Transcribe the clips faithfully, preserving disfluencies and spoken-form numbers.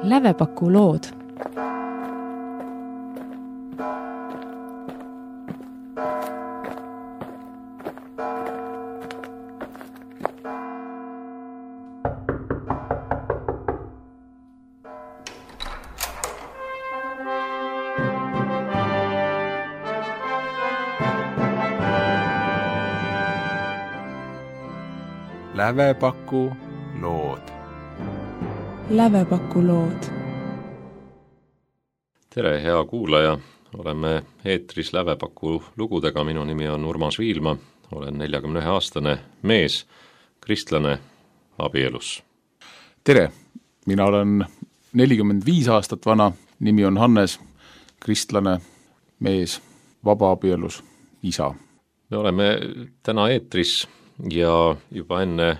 Lävepaku lood. Lävepaku lood. Lävepaku lood. Tere, hea kuulaja! Oleme eetris Lävepaku lugudega. Minu nimi on Urmas Viilma. Olen neljakümne ühe aastane mees, kristlane, abielus. Tere! Mina olen nelikümmend viis aastat vana. Nimi on Hannes, kristlane, mees, vaba abielus, isa. Me oleme täna eetris ja juba enne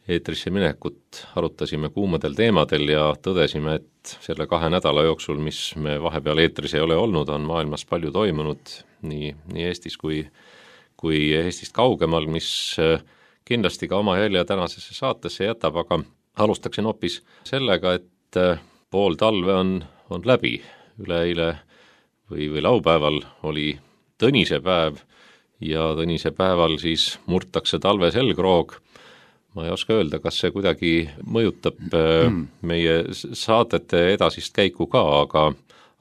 eetrisse minekut arutasime kuumadel teemadel ja tõdesime, et selle kahe nädala jooksul, mis me vahepeal eetris ei ole olnud, on maailmas palju toimunud nii, nii Eestis kui, kui Eestist kaugemal, mis kindlasti ka oma jälje tänasesse saatesse jätab, aga alustaksin hoopis sellega, et pool talve on, on läbi. Üleeile või, või laupäeval oli Tõnise päev ja Tõnise päeval siis murtakse talve selgroog. Ma ei oska öelda, kas see kuidagi mõjutab mm. meie saatete edasist käiku ka, aga,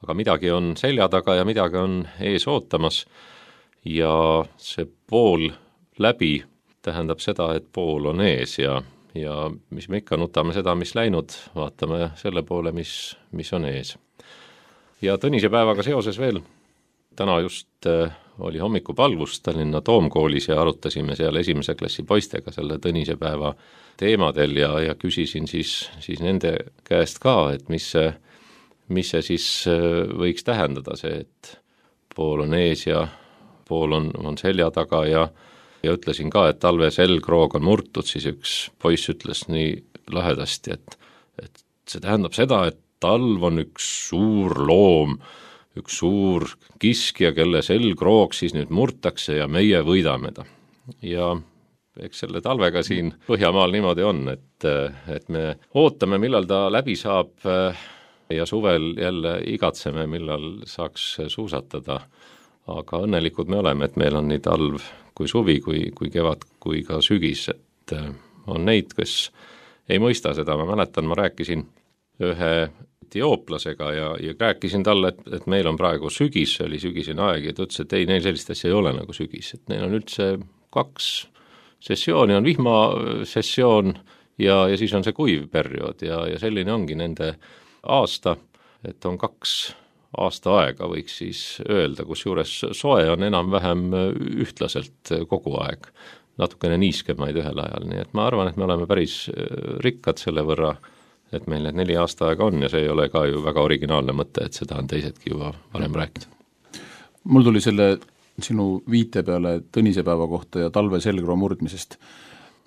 aga midagi on selja taga ja midagi on ees ootamas. Ja see pool läbi tähendab seda, et pool on ees ja, ja mis me ikka nutame seda, mis läinud, vaatame selle poole, mis, mis on ees. Ja Tõnise päevaga seoses veel, täna just oli hommikupalvus Tallinna Toomkoolis ja arutasime seal esimese klassi poistega selle Tõnise päeva teemadel ja, ja küsisin siis, siis nende käest ka, et mis see, mis see siis võiks tähendada see, et pool on ees ja pool on, on selja taga ja, ja ütlesin ka, et talve selgroog on murtud, siis üks poiss ütles nii lahedasti, et, et see tähendab seda, et talv on üks suur loom, üks suur kiskja, kelle selgroog siis nüüd murtakse ja meie võidame ta. Ja eks selle talvega siin Põhjamaal niimoodi on, et, et me ootame, millal ta läbi saab ja suvel jälle igatseme, millal saaks suusatada. Aga õnnelikud me oleme, et meil on nii talv kui suvi, kui, kui kevad, kui ka sügis, et on neid, kes ei mõista seda. Ma mäletan, ma rääkisin ühe etiooplasega ja, ja rääkisin talle, et, et meil on praegu sügis, see oli sügisene aeg ja ta ütles, et ei, neil sellist asja ei ole nagu sügis, et neil on üldse kaks sessiooni, on vihmasessioon ja, ja siis on see kuiv periood ja, ja selline ongi nende aasta, et on kaks aasta aega, võiks siis öelda, kus juures soe on enam-vähem ühtlaselt kogu aeg, natukene niiskemaid ühel ajal, nii et ma arvan, et me oleme päris rikkad selle võrra, et meil need neli aasta aega on ja see ei ole ka ju väga originaalne mõte, et seda on teisedki juba varem rääkida. Mul tuli selle sinu viite peale Tõnise päeva kohta ja talve selgroo murdmisest.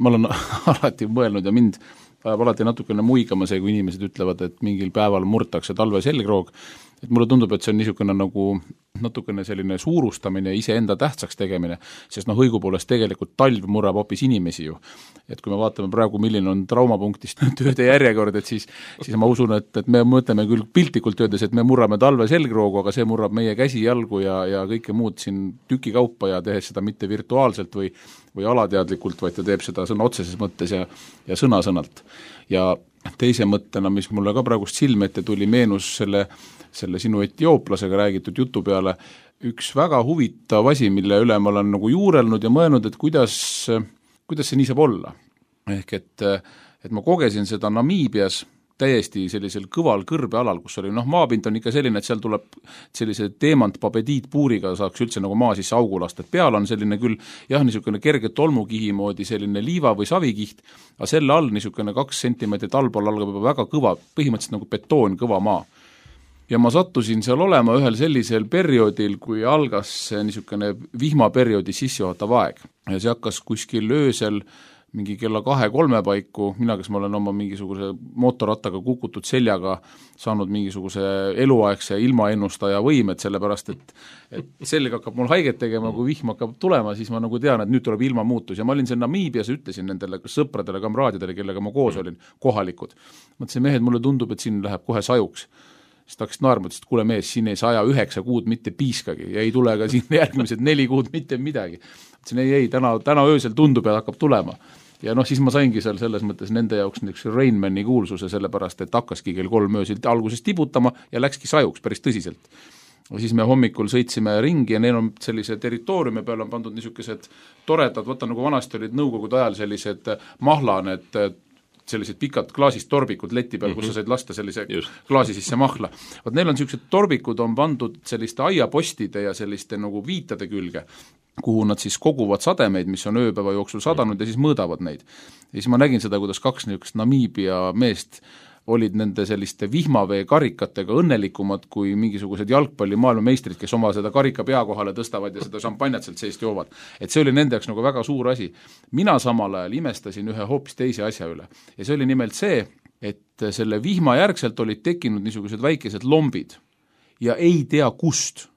Ma olen alati mõelnud ja mind ajab alati natukene muigama see, kui inimesed ütlevad, et mingil päeval murtakse talve selgroog. Et mulle tundub, et see on niisugune nagu natukene selline suurustamine ja iseenda tähtsaks tegemine, sest noh, õigupoolest tegelikult talv murrab hoopis inimesi ju. Et kui me vaatame praegu, milline on traumapunktist tööde järjekord, et siis, siis ma usun, et, et me mõtleme küll piltlikult töödes, et me murrame talve selgroogu, aga see murrab meie käsi, jalgu ja, ja kõike muud siin tükikaupa ja tehes seda mitte virtuaalselt või, või alateadlikult, vaid ta teeb seda sõna otseses mõttes ja, ja sõna-sõnalt. Ja teise mõttena, mis mulle ka praegust silme ette tuli, meenus selle selle sinu etiooplasega räägitud jutu peale üks väga huvitav asi, mille üle ma olen nagu juurelnud ja mõelnud, et kuidas, kuidas see nii saab olla. Ehk et, et ma kogesin seda Namiibias täiesti sellisel kõval kõrbealal, kus oli, noh, maapind on ikka selline, et seal tuleb sellise teemantpapediitpuuriga saaks üldse nagu maa sisse augu lasta, et peal on selline küll, jah, niisugune kerge tolmukihi moodi selline liiva või savikiht, aga selle all niisugune kaks sentimeetrit allpool algab juba väga kõva, põhimõtteliselt nagu betoon kõva maa. Ja ma sattusin seal olema ühel sellisel perioodil, kui algas niisugune vihmaperioodi sissejuhatav aeg. Ja see hakkas kuskil öösel mingi kella kahe-kolme paiku, mina, kes ma olen oma mingisuguse mootorrattaga kukutud seljaga saanud mingisuguse eluaegse ilmaennustaja võimed, sellepärast et, et selg hakkab mul haiget tegema, kui vihm hakkab tulema, siis ma nagu tean, et nüüd tuleb ilmamuutus ja ma olin seal Namiibias, ütlesin nendele sõpradele, kamraadidele, kellega ma koos olin, kohalikud. Mõtlesin, mehed, mulle tundub, et siin läheb kohe sajuks. Siis ta hakkas naerma, et kuule mees, siin ei saja üheksa kuud mitte piiskagi ja ei tule ka siin järgmised neli kuud mitte midagi. Ütlesin, ei, ei, täna, täna öösel tundub ja hakkab tulema. Ja noh, siis ma saingi seal selles mõttes nende jaoks niisuguse Rainmani kuulsuse, sellepärast, et hakkaski kell kolm öösil alguses tibutama ja läkski sajuks päris tõsiselt. Ja siis me hommikul sõitsime ringi ja neil on sellise territooriumi peal on pandud niisugused toredad, võtta nagu vanasti olid nõukogude ajal sellised mahlaned, sellised pikad klaasist torbikud leti peal, kus sa said lasta sellise Just. klaasi sisse mahla. Vaat neil on sellised torbikud on pandud selliste aiapostide ja selliste nagu viitade külge, kuhu nad siis koguvad sademeid, mis on ööpäeva jooksul sadanud ja siis mõõdavad neid. Ja siis ma nägin seda, kuidas kaks niisugust Namiibia meest olid nende selliste vihmavee karikatega õnnelikumad kui mingisugused jalgpalli maailmameistrid, kes oma seda karika pea kohale tõstavad ja seda šampanjat sealt seest joovad. Et see oli nende jaoks nagu väga suur asi. Mina samal ajal imestasin ühe hoopis teise asja üle. Ja see oli nimelt see, et selle vihma järgselt olid tekkinud niisugused väikesed lombid ja ei tea kust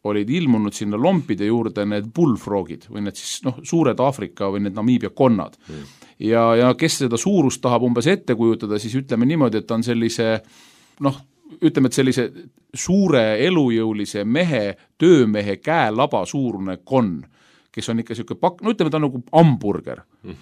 olid ilmunud sinna lompide juurde need bullfrogid või need siis noh, suured Aafrika või need Namiibia konnad. Mm. Ja, ja kes seda suurust tahab umbes ette kujutada, siis ütleme niimoodi, et on sellise noh, ütleme, et sellise suure elujõulise mehe, töömehe käelaba suurune konn, kes on ikka selline pakk, no ütleme, ta on nagu hamburger. Mm.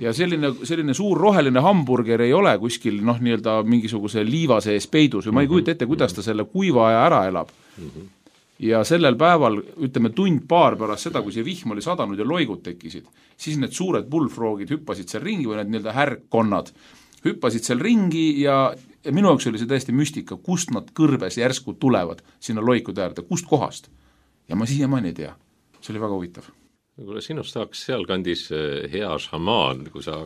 Ja selline, selline suur roheline hamburger ei ole kuskil noh, nii-öelda mingisuguse liiva sees peidus või ma ei kujuta ette, kuidas ta selle kuiva aja ära elab. Mm-hmm. Ja sellel päeval, ütleme tund paar pärast seda, kui see vihm oli sadanud ja loigud tekkisid, siis need suured bullfrogid hüppasid seal ringi või need nii-öelda härkkonnad hüppasid seal ringi ja, ja minu jaoks oli see täiesti müstika, kust nad kõrbes järsku tulevad sinna loikude äärde, kust kohast. Ja ma siiamaani ei tea. See oli väga huvitav. Kuule, sinust saaks sealkandis hea šamaan, kui sa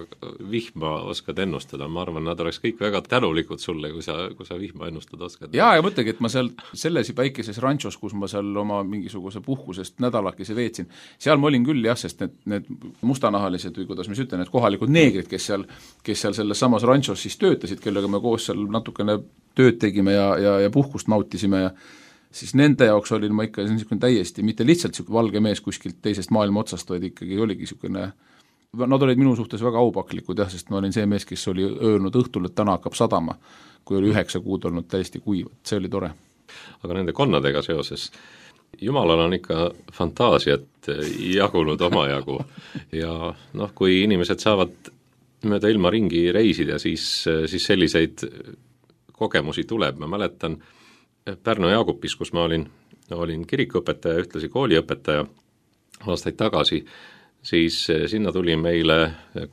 vihma oskad ennustada. Ma arvan, nad oleks kõik väga tänulikud sulle, kui sa, kui sa vihma ennustada oskad. Jaa, ja mõtlegi, et ma seal selles väikeses ranchos, kus ma seal oma mingisuguse puhkusest nädalakese veetsin, seal ma olin küll jah, sest need, need mustanahalised või kuidas ma ütlen, need kohalikud neegrid, kes seal, kes seal selles samas ranchos siis töötasid, kellega me koos seal natukene tööd tegime ja, ja, ja puhkust nautisime ja siis nende jaoks olin ma ikka niisugune täiesti, mitte lihtsalt niisugune valge mees kuskilt teisest maailma otsast, vaid ikkagi oligi niisugune, nad olid minu suhtes väga aupaklikud jah, sest ma olin see mees, kes oli öelnud õhtul, et täna hakkab sadama, kui oli üheksa kuud olnud täiesti kuiv, see oli tore. Aga nende konnadega seoses, jumalal on ikka fantaasiat jagunud omajagu ja noh, kui inimesed saavad mööda ilma ringi reisida, siis, siis selliseid kogemusi tuleb, ma mäletan Pärnu Jaagupis, kus ma olin, olin kirikuõpetaja, ühtlasi kooliõpetaja aastaid tagasi, siis sinna tuli meile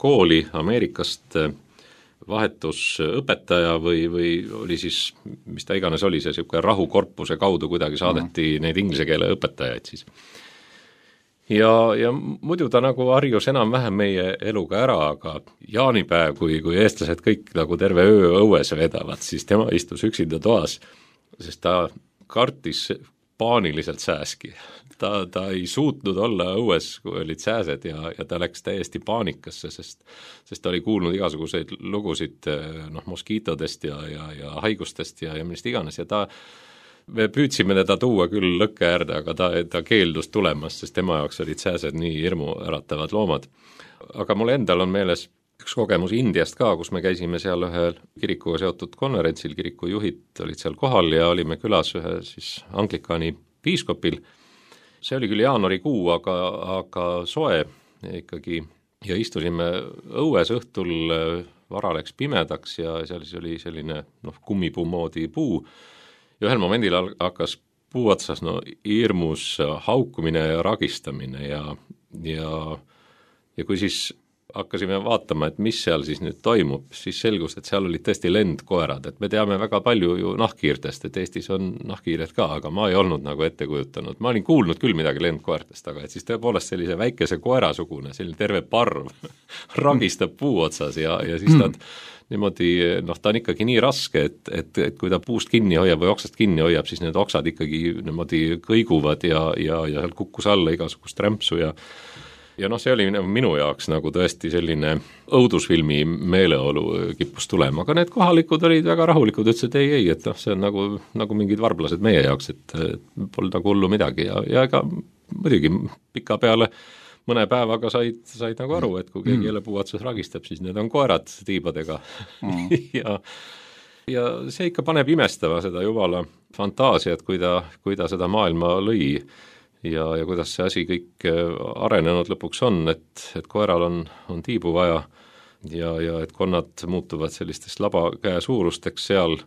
kooli Ameerikast vahetusõpetaja või, või oli siis, mis ta iganes oli, see niisugune rahukorpuse kaudu kuidagi saadeti mm. neid inglise keele õpetajaid siis. Ja, ja muidu ta nagu harjus enam-vähem meie eluga ära, aga jaanipäev, kui, kui eestlased kõik nagu terve öö õues vedavad, siis tema istus üksinda toas, sest ta kartis paaniliselt sääski. Ta, ta ei suutnud olla õues, kui olid sääsed ja, ja ta läks täiesti paanikasse, sest, sest ta oli kuulnud igasuguseid lugusid noh, moskiitodest ja, ja, ja haigustest ja, ja millest iganes ja ta, me püüdsime teda tuua küll lõkke äärde, aga ta, ta keeldus tulemas, sest tema jaoks olid sääsed nii hirmu äratavad loomad. Aga mul endal on meeles üks kogemus Indiast ka, kus me käisime seal ühel kirikuga seotud konverentsil, kiriku juhid olid seal kohal ja olime külas ühe siis Anglikaani piiskopil. See oli küll jaanuarikuu, aga, aga soe ikkagi ja istusime õues õhtul, vara läks pimedaks ja seal siis oli selline noh, kummipuu moodi puu ja ühel momendil hakkas puu otsas no, hirmus haukumine ja ragistamine ja, ja, ja kui siis hakkasime vaatama, et mis seal siis nüüd toimub, siis selgus, et seal olid tõesti lendkoerad, et me teame väga palju ju nahkhiirtest, et Eestis on nahkhiired ka, aga ma ei olnud nagu ette kujutanud, ma olin kuulnud küll midagi lendkoertest, aga et siis tõepoolest sellise väikese koerasugune, selline terve parv ragistab puu otsas ja, ja siis nad niimoodi, noh ta on ikkagi nii raske, et, et, et kui ta puust kinni hoiab või oksast kinni hoiab, siis need oksad ikkagi niimoodi kõiguvad ja, ja, ja seal kukkus alla igasugust rämpsu ja ja noh, see oli minu jaoks nagu tõesti selline õudusfilmi meeleolu kippus tulema, aga need kohalikud olid väga rahulikud, ütlesid ei, ei, et noh, see on nagu, nagu mingid varblased meie jaoks, et polnud nagu hullu midagi ja, ja ega muidugi pika peale mõne päevaga said, said nagu aru, et kui keegi jälle puuatsus ragistab, siis need on koerad tiibadega mm. ja, ja see ikka paneb imestama seda jumala fantaasiat, kui ta, kui ta seda maailma lõi ja, ja kuidas see asi kõik arenenud lõpuks on, et, et koeral on, on tiibu vaja ja, ja et konnad muutuvad sellistest labakäe suurusteks seal,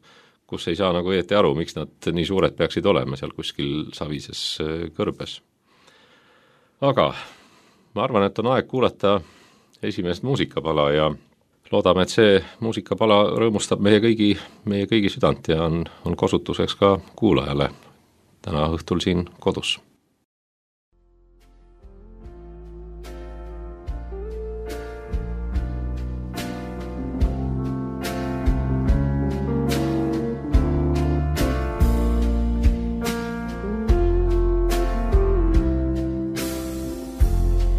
kus ei saa nagu õieti aru, miks nad nii suured peaksid olema seal kuskil savises kõrbes. Aga ma arvan, et on aeg kuulata esimest muusikapala ja loodame, et see muusikapala rõõmustab meie kõigi, meie kõigi südant ja on, on kosutuseks ka kuulajale täna õhtul siin kodus.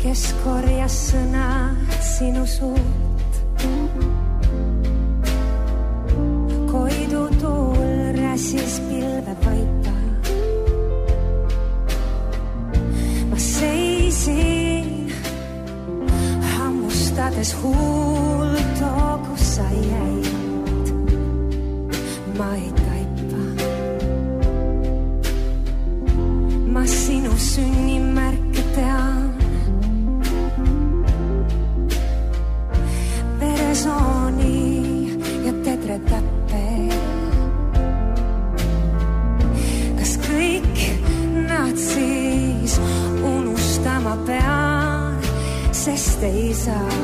Kes korjas sõna sinu suut, koidu tuul räsis pilve vaipa. Ma seisin hammustades huulto, kus sa jäid. Ma ei taipa. Ma sinu sünnimärke tean. Veresooni ja tetre täppe. Kas kõik nad siis unustama pean, sest ei saa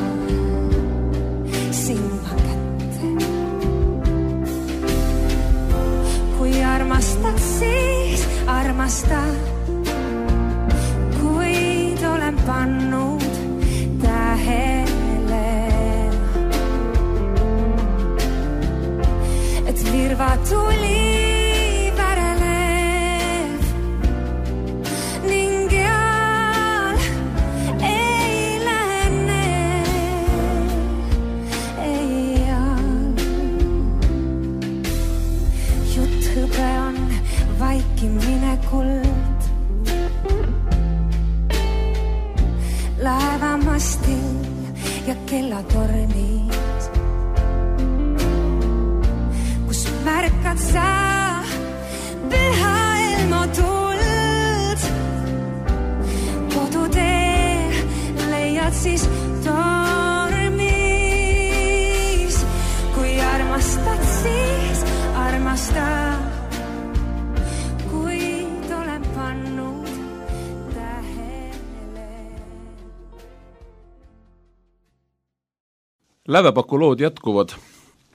silma kätte. Kui armastad, siis armastad, kuid olen pannud tähele, virva tuli värelev ning jal ei lähne, ei jal. Jutt hõbe on vaikimine kuld, laevamastil ja kellatornis. Märkad sa püha ilmu tuld, kodutee leiad siis tormis. Kui armastad, siis armastad, kuid olen pannud tähele. Lävepaku lood jätkuvad,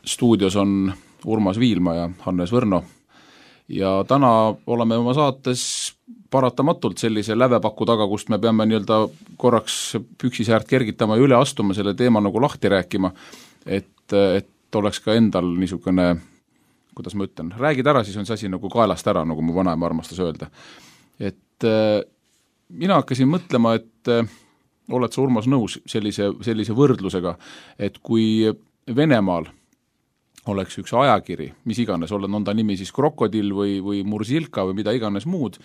stuudios on Urmas Viilma ja Hannes Võrno ja täna oleme oma saates paratamatult sellise lävepaku taga, kust me peame nii-öelda korraks püksisäärt kergitama ja üle astuma selle teema nagu lahti rääkima, et, et oleks ka endal niisugune, kuidas ma ütlen, räägid ära, siis on see asi nagu kaelast ära, nagu mu vanaema armastas öelda. Et mina hakkasin mõtlema, et oled sa, Urmas, nõus sellise, sellise võrdlusega, et kui Venemaal oleks üks ajakiri, mis iganes, on ta nimi siis Krokodill või, või Mursilka või mida iganes muud,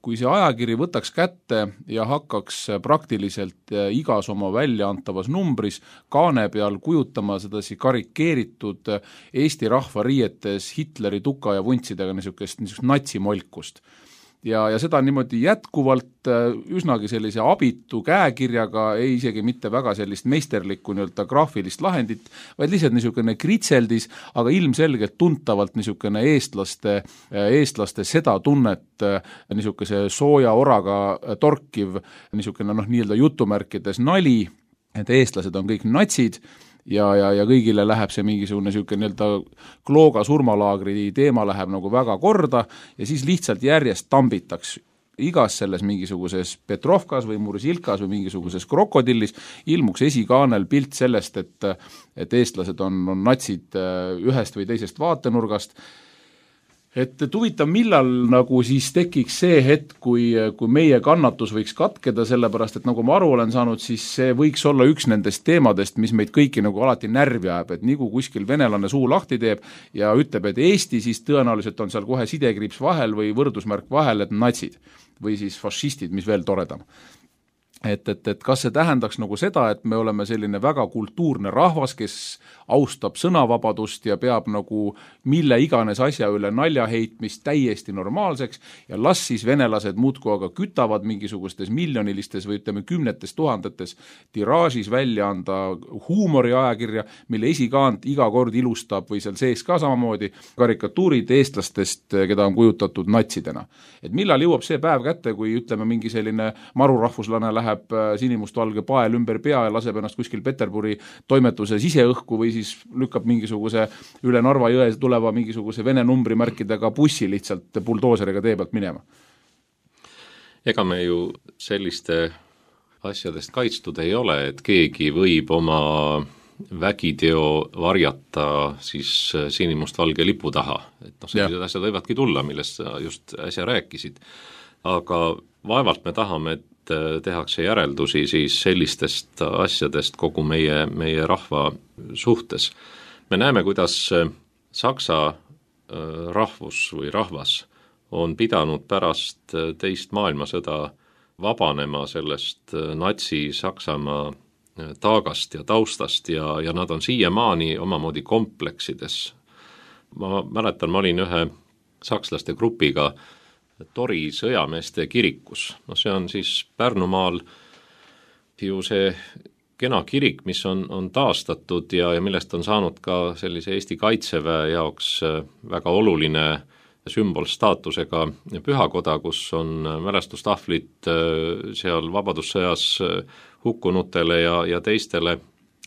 kui see ajakiri võtaks kätte ja hakkaks praktiliselt igas oma väljaantavas numbris kaane peal kujutama sedasi karikeeritud Eesti rahva riietes Hitleri tuka ja vuntsidega niisugust, niisugust natsimolkust. Ja, ja seda niimoodi jätkuvalt üsnagi sellise abitu käekirjaga, ei isegi mitte väga sellist meisterlikku nii-öelda graafilist lahendit, vaid lihtsalt niisugune kritseldis, aga ilmselgelt tuntavalt niisugune eestlaste, eestlaste seda tunnet niisuguse sooja oraga torkiv niisugune noh, nii-öelda jutumärkides nali, et eestlased on kõik natsid, ja, ja, ja kõigile läheb see mingisugune niisugune nii-öelda Klooga surmalaagri teema läheb nagu väga korda ja siis lihtsalt järjest tambitaks igas selles mingisuguses Petrovkas või Mursilkas või mingisuguses Krokodillis ilmuks esikaanel pilt sellest, et, et eestlased on, on natsid ühest või teisest vaatenurgast. et, et huvitav, millal nagu siis tekiks see hetk, kui, kui meie kannatus võiks katkeda, sellepärast et nagu ma aru olen saanud, siis see võiks olla üks nendest teemadest, mis meid kõiki nagu alati närvi ajab, et nii kui kuskil venelane suu lahti teeb ja ütleb, et Eesti, siis tõenäoliselt on seal kohe sidekriips vahel või võrdusmärk vahel, et natsid või siis fašistid, mis veel toredam. Et, et, et kas see tähendaks nagu seda, et me oleme selline väga kultuurne rahvas, kes austab sõnavabadust ja peab nagu mille iganes asja üle nalja heitmist täiesti normaalseks ja las siis venelased muudkui aga kütavad mingisugustes miljonilistes või ütleme kümnetes tuhandetes tiraažis välja anda huumoriajakirja, mille esikaant iga kord ilustab või seal sees ka samamoodi karikatuurid eestlastest, keda on kujutatud natsidena. Et millal jõuab see päev kätte, kui ütleme mingi selline marurahvuslane läheb sinimustvalge pael ümber pea ja laseb ennast kuskil Peterburi toimetuse siseõhku või siis lükkab mingisuguse üle Narva jõe tuleva mingisuguse vene numbrimärkidega bussi lihtsalt buldooseriga tee pealt minema. Ega me ju selliste asjadest kaitstud ei ole, et keegi võib oma vägiteo varjata siis sinimustvalge lipu taha. Et noh, sellised ja. asjad võivadki tulla, millest sa just äsja rääkisid. Aga vaevalt me tahame, et tehakse järeldusi siis sellistest asjadest kogu meie, meie rahva suhtes. Me näeme, kuidas Saksa rahvus või rahvas on pidanud pärast teist maailmasõda vabanema sellest natsi-Saksamaa taagast ja taustast ja, ja nad on siiamaani omamoodi kompleksides. Ma mäletan, ma olin ühe sakslaste grupiga Tori sõjameeste kirikus. No see on siis Pärnumaal ju see kena kirik, mis on, on taastatud ja, ja millest on saanud ka sellise Eesti kaitseväe jaoks väga oluline sümbolstaatusega pühakoda, kus on mälestustahvlid seal vabadussõjas hukkunutele ja, ja teistele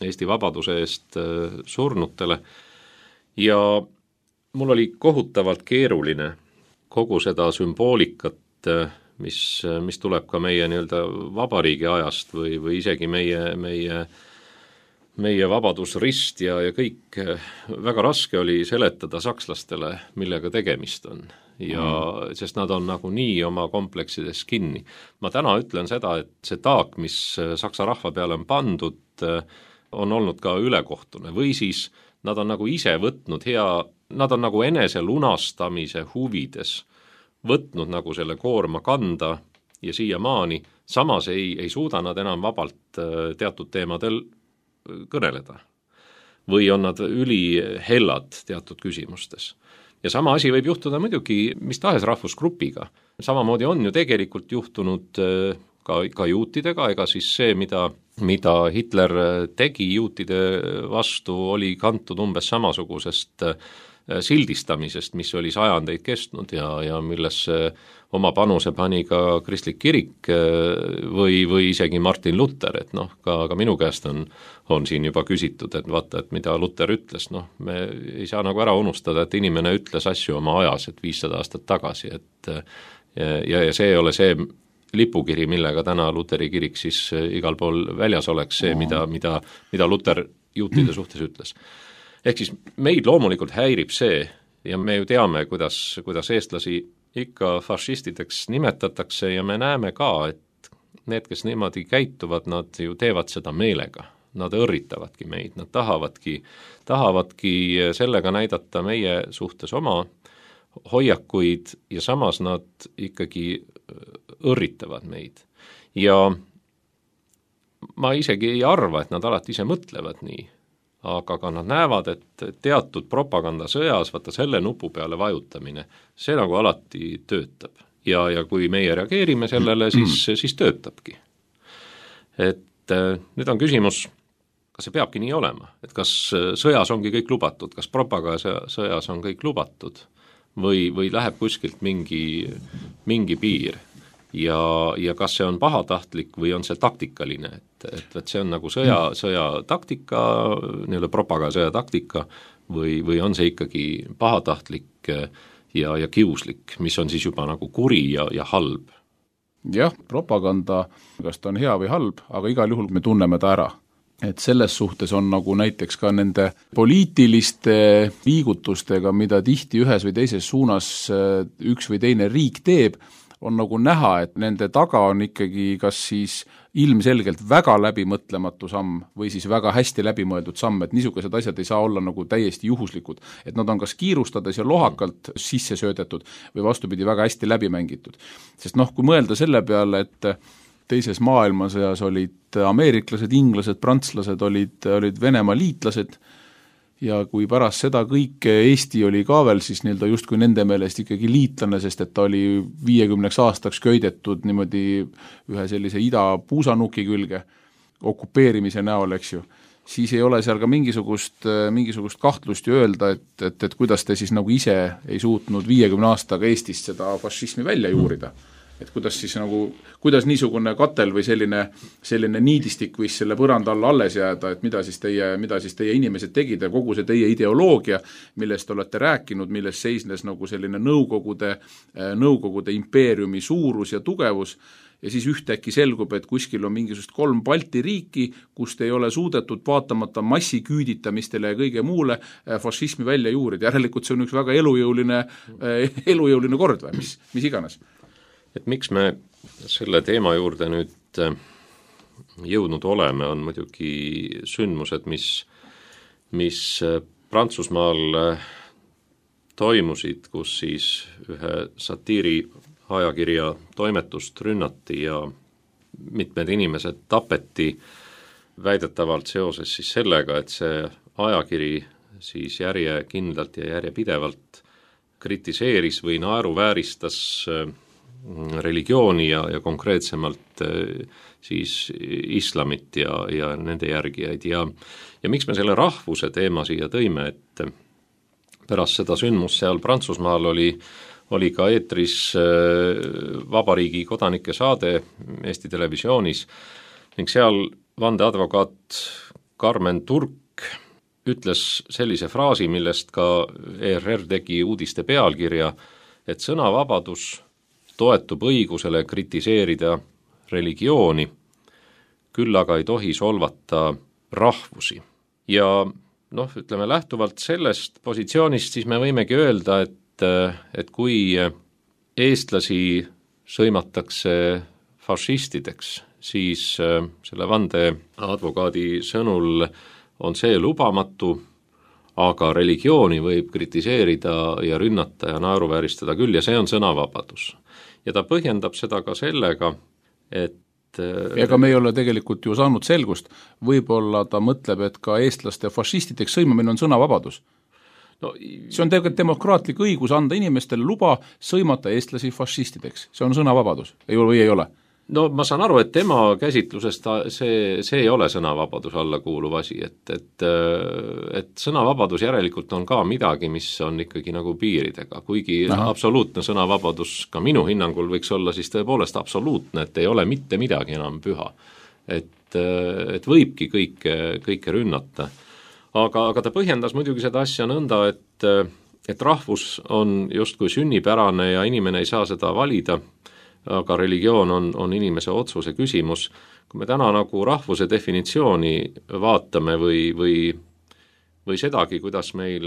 Eesti vabaduse eest surnutele. Ja mul oli kohutavalt keeruline kogu seda sümboolikat, mis, mis tuleb ka meie nii-öelda vabariigi ajast või, või isegi meie, meie, meie vabadusrist ja, ja kõik, väga raske oli seletada sakslastele, millega tegemist on. Ja mm. sest nad on nagu nii oma kompleksides kinni. Ma täna ütlen seda, et see taak, mis saksa rahva peale on pandud, on olnud ka ülekohtune või siis nad on nagu ise võtnud hea Nad on nagu enese lunastamise huvides võtnud nagu selle koorma kanda ja siiamaani, samas ei, ei suuda nad enam vabalt teatud teemadel kõneleda. Või on nad ülihellad teatud küsimustes. Ja sama asi võib juhtuda muidugi mis tahes rahvusgrupiga. Samamoodi on ju tegelikult juhtunud ka, ka juutidega, ega siis see, mida, mida Hitler tegi juutide vastu, oli kantud umbes samasugusest sildistamisest, mis oli sajandeid kestnud ja, ja millesse oma panuse pani ka kristlik kirik või, või isegi Martin Luther, et noh, ka, ka minu käest on, on siin juba küsitud, et vaata, et mida Luther ütles, noh, me ei saa nagu ära unustada, et inimene ütles asju oma ajas, et viissada aastat tagasi, et ja, ja see ei ole see lipukiri, millega täna Luteri kirik siis igal pool väljas oleks see, mida, mida, mida Luther juutide suhtes ütles. Ehk siis meid loomulikult häirib see ja me ju teame, kuidas, kuidas eestlasi ikka fašistideks nimetatakse ja me näeme ka, et need, kes niimoodi käituvad, nad ju teevad seda meelega. Nad õrritavadki meid, nad tahavadki, tahavadki sellega näidata meie suhtes oma hoiakuid ja samas nad ikkagi õrritavad meid. Ja ma isegi ei arva, et nad alati ise mõtlevad nii. Aga ka nad näevad, et teatud propagandasõjas, vaata selle nupu peale vajutamine, see nagu alati töötab. Ja, ja kui meie reageerime sellele, siis, siis töötabki. Et nüüd on küsimus, kas see peabki nii olema? Et kas sõjas ongi kõik lubatud, kas propagandasõjas on kõik lubatud või, või läheb kuskilt mingi, mingi piir? Ja, ja kas see on pahatahtlik või on see taktikaline, et, et, et see on nagu sõja, sõja taktika, nii-öelda propaganda sõja taktika või, või on see ikkagi pahatahtlik ja, ja kiuslik, mis on siis juba nagu kuri ja, ja halb? Jah, propaganda, kas ta on hea või halb, aga igal juhul me tunneme ta ära. et selles suhtes on nagu näiteks ka nende poliitiliste liigutustega, mida tihti ühes või teises suunas üks või teine riik teeb, on nagu näha, et nende taga on ikkagi kas siis ilmselgelt väga läbimõtlematu samm või siis väga hästi läbimõeldud samm, et niisugused asjad ei saa olla nagu täiesti juhuslikud, et nad on kas kiirustades ja lohakalt sisse söödetud või vastupidi väga hästi läbi mängitud. Sest noh, kui mõelda selle peale, et teises maailmasõjas olid ameeriklased, inglased, prantslased, olid, olid Venemaa liitlased, ja kui pärast seda kõike Eesti oli ka veel siis nii-öelda justkui nende meelest ikkagi liitlane, sest et ta oli viiekümneks aastaks köidetud niimoodi ühe sellise ida puusanuki külge okupeerimise näol, eks ju, siis ei ole seal ka mingisugust, mingisugust kahtlust ju öelda, et, et, et kuidas te siis nagu ise ei suutnud viiekümne aastaga Eestist seda fašismi välja juurida. Et kuidas siis nagu, kuidas niisugune katel või selline, selline niidistik võis selle põranda alla alles jääda, et mida siis teie, mida siis teie inimesed tegid ja kogu see teie ideoloogia, millest olete rääkinud, milles seisnes nagu selline nõukogude, nõukogude impeeriumi suurus ja tugevus, ja siis ühtäkki selgub, et kuskil on mingisugust kolm Balti riiki, kust ei ole suudetud vaatamata massiküüditamistele ja kõige muule fašismi välja juurida. Järelikult see on üks väga elujõuline, elujõuline kord või mis, mis iganes. Et miks me selle teema juurde nüüd jõudnud oleme, on muidugi sündmused, mis, mis Prantsusmaal toimusid, kus siis ühe satiiri ajakirja toimetust rünnati ja mitmed inimesed tapeti väidetavalt seoses siis sellega, et see ajakiri siis järjekindlalt ja järjepidevalt kritiseeris või naeruvääristas religiooni ja, ja konkreetsemalt siis islamit ja, ja nende järgijaid ja, ja miks me selle rahvuse teema siia tõime, et pärast seda sündmust seal Prantsusmaal oli, oli ka eetris Vabariigi kodanike saade Eesti Televisioonis ning seal vandeadvokaat Carmen Turk ütles sellise fraasi, millest ka E R R tegi uudiste pealkirja, et sõnavabadus toetub õigusele kritiseerida religiooni, küll aga ei tohi solvata rahvusi. Ja noh, ütleme lähtuvalt sellest positsioonist, siis me võimegi öelda, et, et kui eestlasi sõimatakse fašistideks, siis selle vandeadvokaadi sõnul on see lubamatu, aga religiooni võib kritiseerida ja rünnata ja naeruvääristada küll ja see on sõnavabadus. Ja ta põhjendab seda ka sellega, et ega me ei ole tegelikult ju saanud selgust, võib-olla ta mõtleb, et ka eestlaste fašistideks sõimamine on sõnavabadus. No, see on tegelikult demokraatlik õigus anda inimestele luba sõimata eestlasi fašistideks, see on sõnavabadus, ei ole või ei ole? No ma saan aru, et tema käsitlusest see, see ei ole sõnavabadus alla kuuluv asi, et, et, et sõnavabadus järelikult on ka midagi, mis on ikkagi nagu piiridega, kuigi Aha. absoluutne sõnavabadus ka minu hinnangul võiks olla siis tõepoolest absoluutne, et ei ole mitte midagi enam püha. Et, et võibki kõike, kõike rünnata. Aga, aga ta põhjendas muidugi seda asja nõnda, et, et rahvus on justkui sünnipärane ja inimene ei saa seda valida, aga religioon on, on inimese otsuse küsimus. Kui me täna nagu rahvuse definitsiooni vaatame või, või, või sedagi, kuidas meil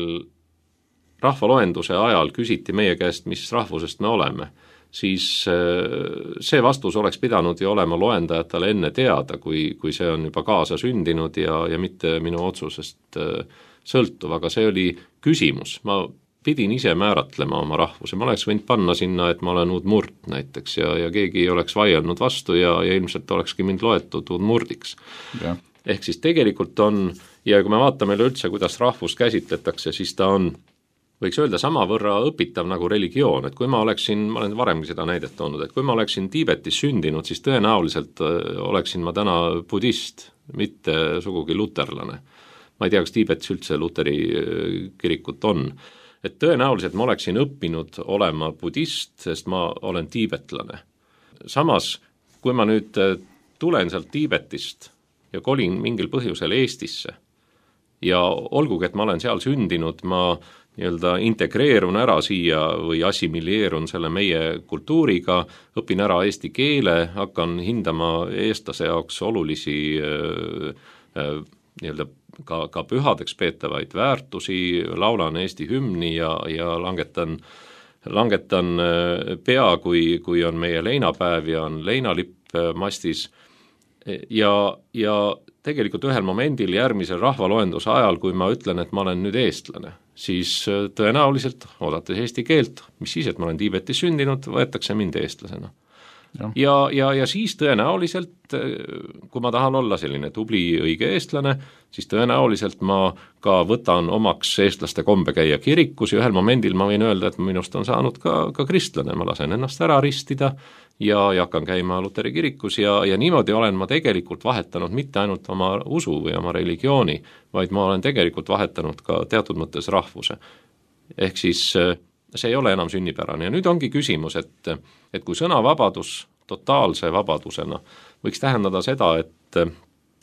rahvaloenduse ajal küsiti meie käest, mis rahvusest me oleme, siis see vastus oleks pidanud ju olema loendajatele enne teada, kui, kui see on juba kaasa sündinud ja, ja mitte minu otsusest sõltuv, aga see oli küsimus. Ma pidin ise määratlema oma rahvuse, ma oleks võinud panna sinna, et ma olen udmurt näiteks ja, ja keegi ei oleks vaielnud vastu ja, ja ilmselt olekski mind loetud udmurdiks. Ja. Ehk siis tegelikult on, ja kui me vaatame üleüldse, kuidas rahvust käsitletakse, siis ta on, võiks öelda, samavõrra õpitav nagu religioon, et kui ma oleksin, ma olen varemgi seda näidet toonud, et kui ma oleksin Tiibetis sündinud, siis tõenäoliselt oleksin ma täna budist, mitte sugugi luterlane. Ma ei tea, kas Tiibetis üldse luteri kirikut on. Et tõenäoliselt ma oleksin õppinud olema budist, sest ma olen tiibetlane. Samas, kui ma nüüd tulen sealt Tiibetist ja kolin mingil põhjusel Eestisse ja olgugi, et ma olen seal sündinud, ma nii-öelda integreerun ära siia või assimilieerun selle meie kultuuriga, õpin ära eesti keele, hakkan hindama eestlase jaoks olulisi nii-öelda ka, ka pühadeks peetavaid väärtusi, laulan Eesti hümni ja, ja langetan, langetan pea, kui, kui on meie leinapäev ja on leinalipp mastis ja, ja tegelikult ühel momendil järgmisel rahvaloenduse ajal, kui ma ütlen, et ma olen nüüd eestlane, siis tõenäoliselt, oodates eesti keelt, mis siis, et ma olen Tiibetis sündinud, võetakse mind eestlasena. Ja, ja, ja, ja siis tõenäoliselt, kui ma tahan olla selline tubli õige eestlane, siis tõenäoliselt ma ka võtan omaks eestlaste kombe käia kirikus ja ühel momendil ma võin öelda, et minust on saanud ka, ka kristlane, ma lasen ennast ära ristida ja, ja hakkan käima Luteri kirikus ja, ja niimoodi olen ma tegelikult vahetanud mitte ainult oma usu või oma religiooni, vaid ma olen tegelikult vahetanud ka teatud mõttes rahvuse. Ehk siis see ei ole enam sünnipärane ja nüüd ongi küsimus, et, et kui sõnavabadus totaalse vabadusena võiks tähendada seda, et,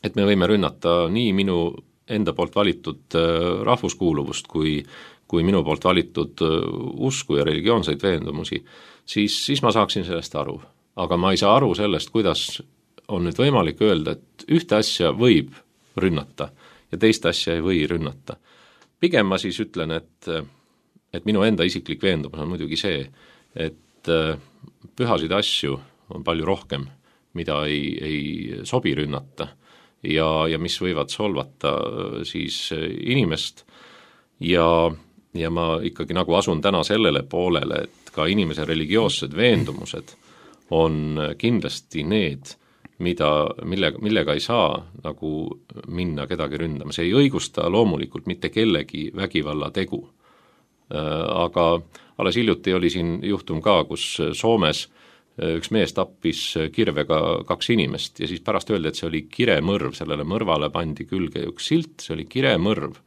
et me võime rünnata nii minu enda poolt valitud rahvuskuuluvust kui, kui minu poolt valitud usku ja religioonseid veendumusi, siis, siis ma saaksin sellest aru. Aga ma ei saa aru sellest, kuidas on nüüd võimalik öelda, et ühte asja võib rünnata ja teist asja ei või rünnata. Pigem ma siis ütlen, et et minu enda isiklik veendumus on muidugi see, et pühasid asju on palju rohkem, mida ei, ei sobi rünnata ja, ja mis võivad solvata siis inimest ja, ja ma ikkagi nagu asun täna sellele poolele, et ka inimese religioossed veendumused on kindlasti need, mida, mille, millega ei saa nagu minna kedagi ründama. See ei õigusta loomulikult mitte kellegi vägivalla tegu. Aga alles hiljuti oli siin juhtum ka, kus Soomes üks mees tappis kirvega kaks inimest ja siis pärast öeldi, et see oli kiremõrv, sellele mõrvale pandi külge üks silt, see oli kiremõrv.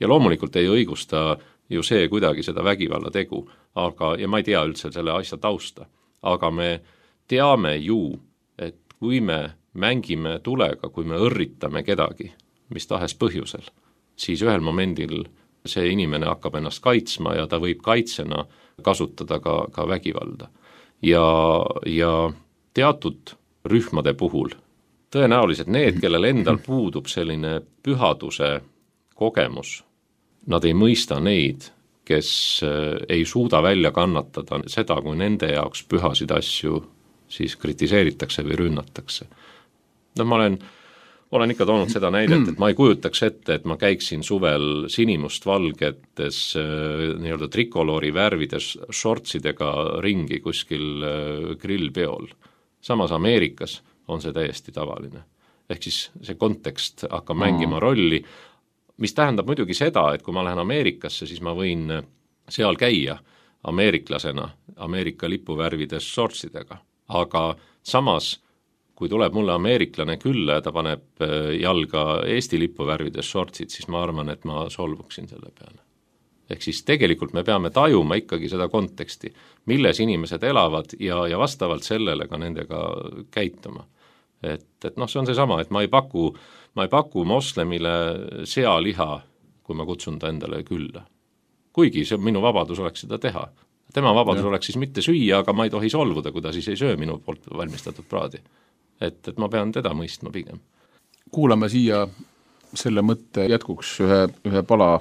Ja loomulikult ei õigusta ju see kuidagi seda vägivalla tegu, aga, ja ma ei tea üldse selle asja tausta, aga me teame ju, et kui me mängime tulega, kui me õrritame kedagi, mis tahes põhjusel, siis ühel momendil see inimene hakkab ennast kaitsma ja ta võib kaitsena kasutada ka, ka vägivalda. Ja, ja teatud rühmade puhul, tõenäoliselt need, kellel endal puudub selline pühaduse kogemus, nad ei mõista neid, kes ei suuda välja kannatada seda, kui nende jaoks pühasid asju siis kritiseeritakse või rünnatakse. No ma olen Olen ikka toonud seda näidet, et ma ei kujutaks ette, et ma käiksin suvel sinimust valgetes nii-öelda trikoloori värvides shortsidega ringi kuskil grillpeol. Samas Ameerikas on see täiesti tavaline. Ehk siis see kontekst hakkab mängima rolli, mis tähendab muidugi seda, et kui ma lähen Ameerikasse, siis ma võin seal käia ameeriklasena Ameerika lipuvärvides shortsidega. Aga samas kui tuleb mulle ameeriklane külla ja ta paneb jalga Eesti lipuvärvides shortsid, siis ma arvan, et ma solvuksin selle peale. Ehk siis tegelikult me peame tajuma ikkagi seda konteksti, milles inimesed elavad ja, ja vastavalt sellele ka nendega käituma. Et, et noh, see on see sama, et ma ei paku, ma ei paku moslemile sealiha, kui ma kutsun ta endale külla. Kuigi see minu vabadus oleks seda teha. Tema vabadus ja. Oleks siis mitte süüa, aga ma ei tohi solvuda, kui ta siis ei söö minu poolt valmistatud praadi. Et, et ma pean teda mõistma pigem. Kuulame siia selle mõtte jätkuks ühe, ühe pala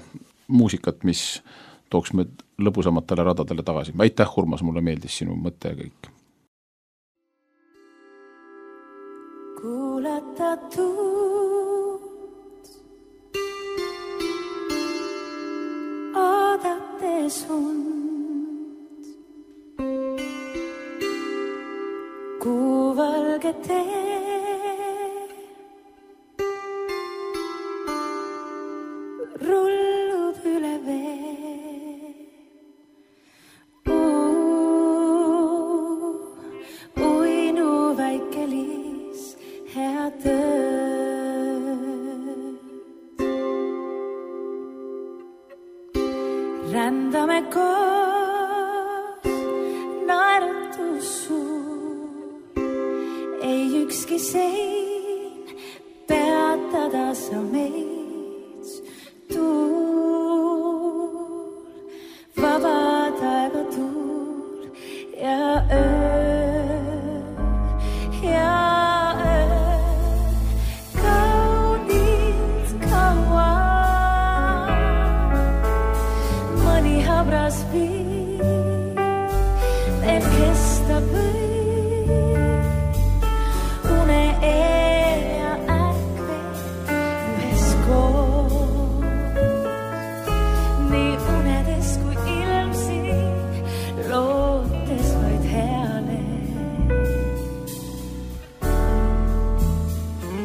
muusikat, mis tooks meid lõbusamatele radadele tagasi. Aitäh, Urmas, mulle meeldis sinu mõtte ja kõik. Kuulata tuud, oodates und, kuuvalge tee, rullub üle vee. Uu, uinu väike liis, hea tööd. Rändame koos, naeratus suur, ei ükski sein peatada sa meid. Tuul, vaba taeva tuul ja öö, ja öö, kaunis. sabras viib, veel kesta võib, une eel ja ärkve ühes koos, nii unedes kui ilmsin, lootes vaid heale.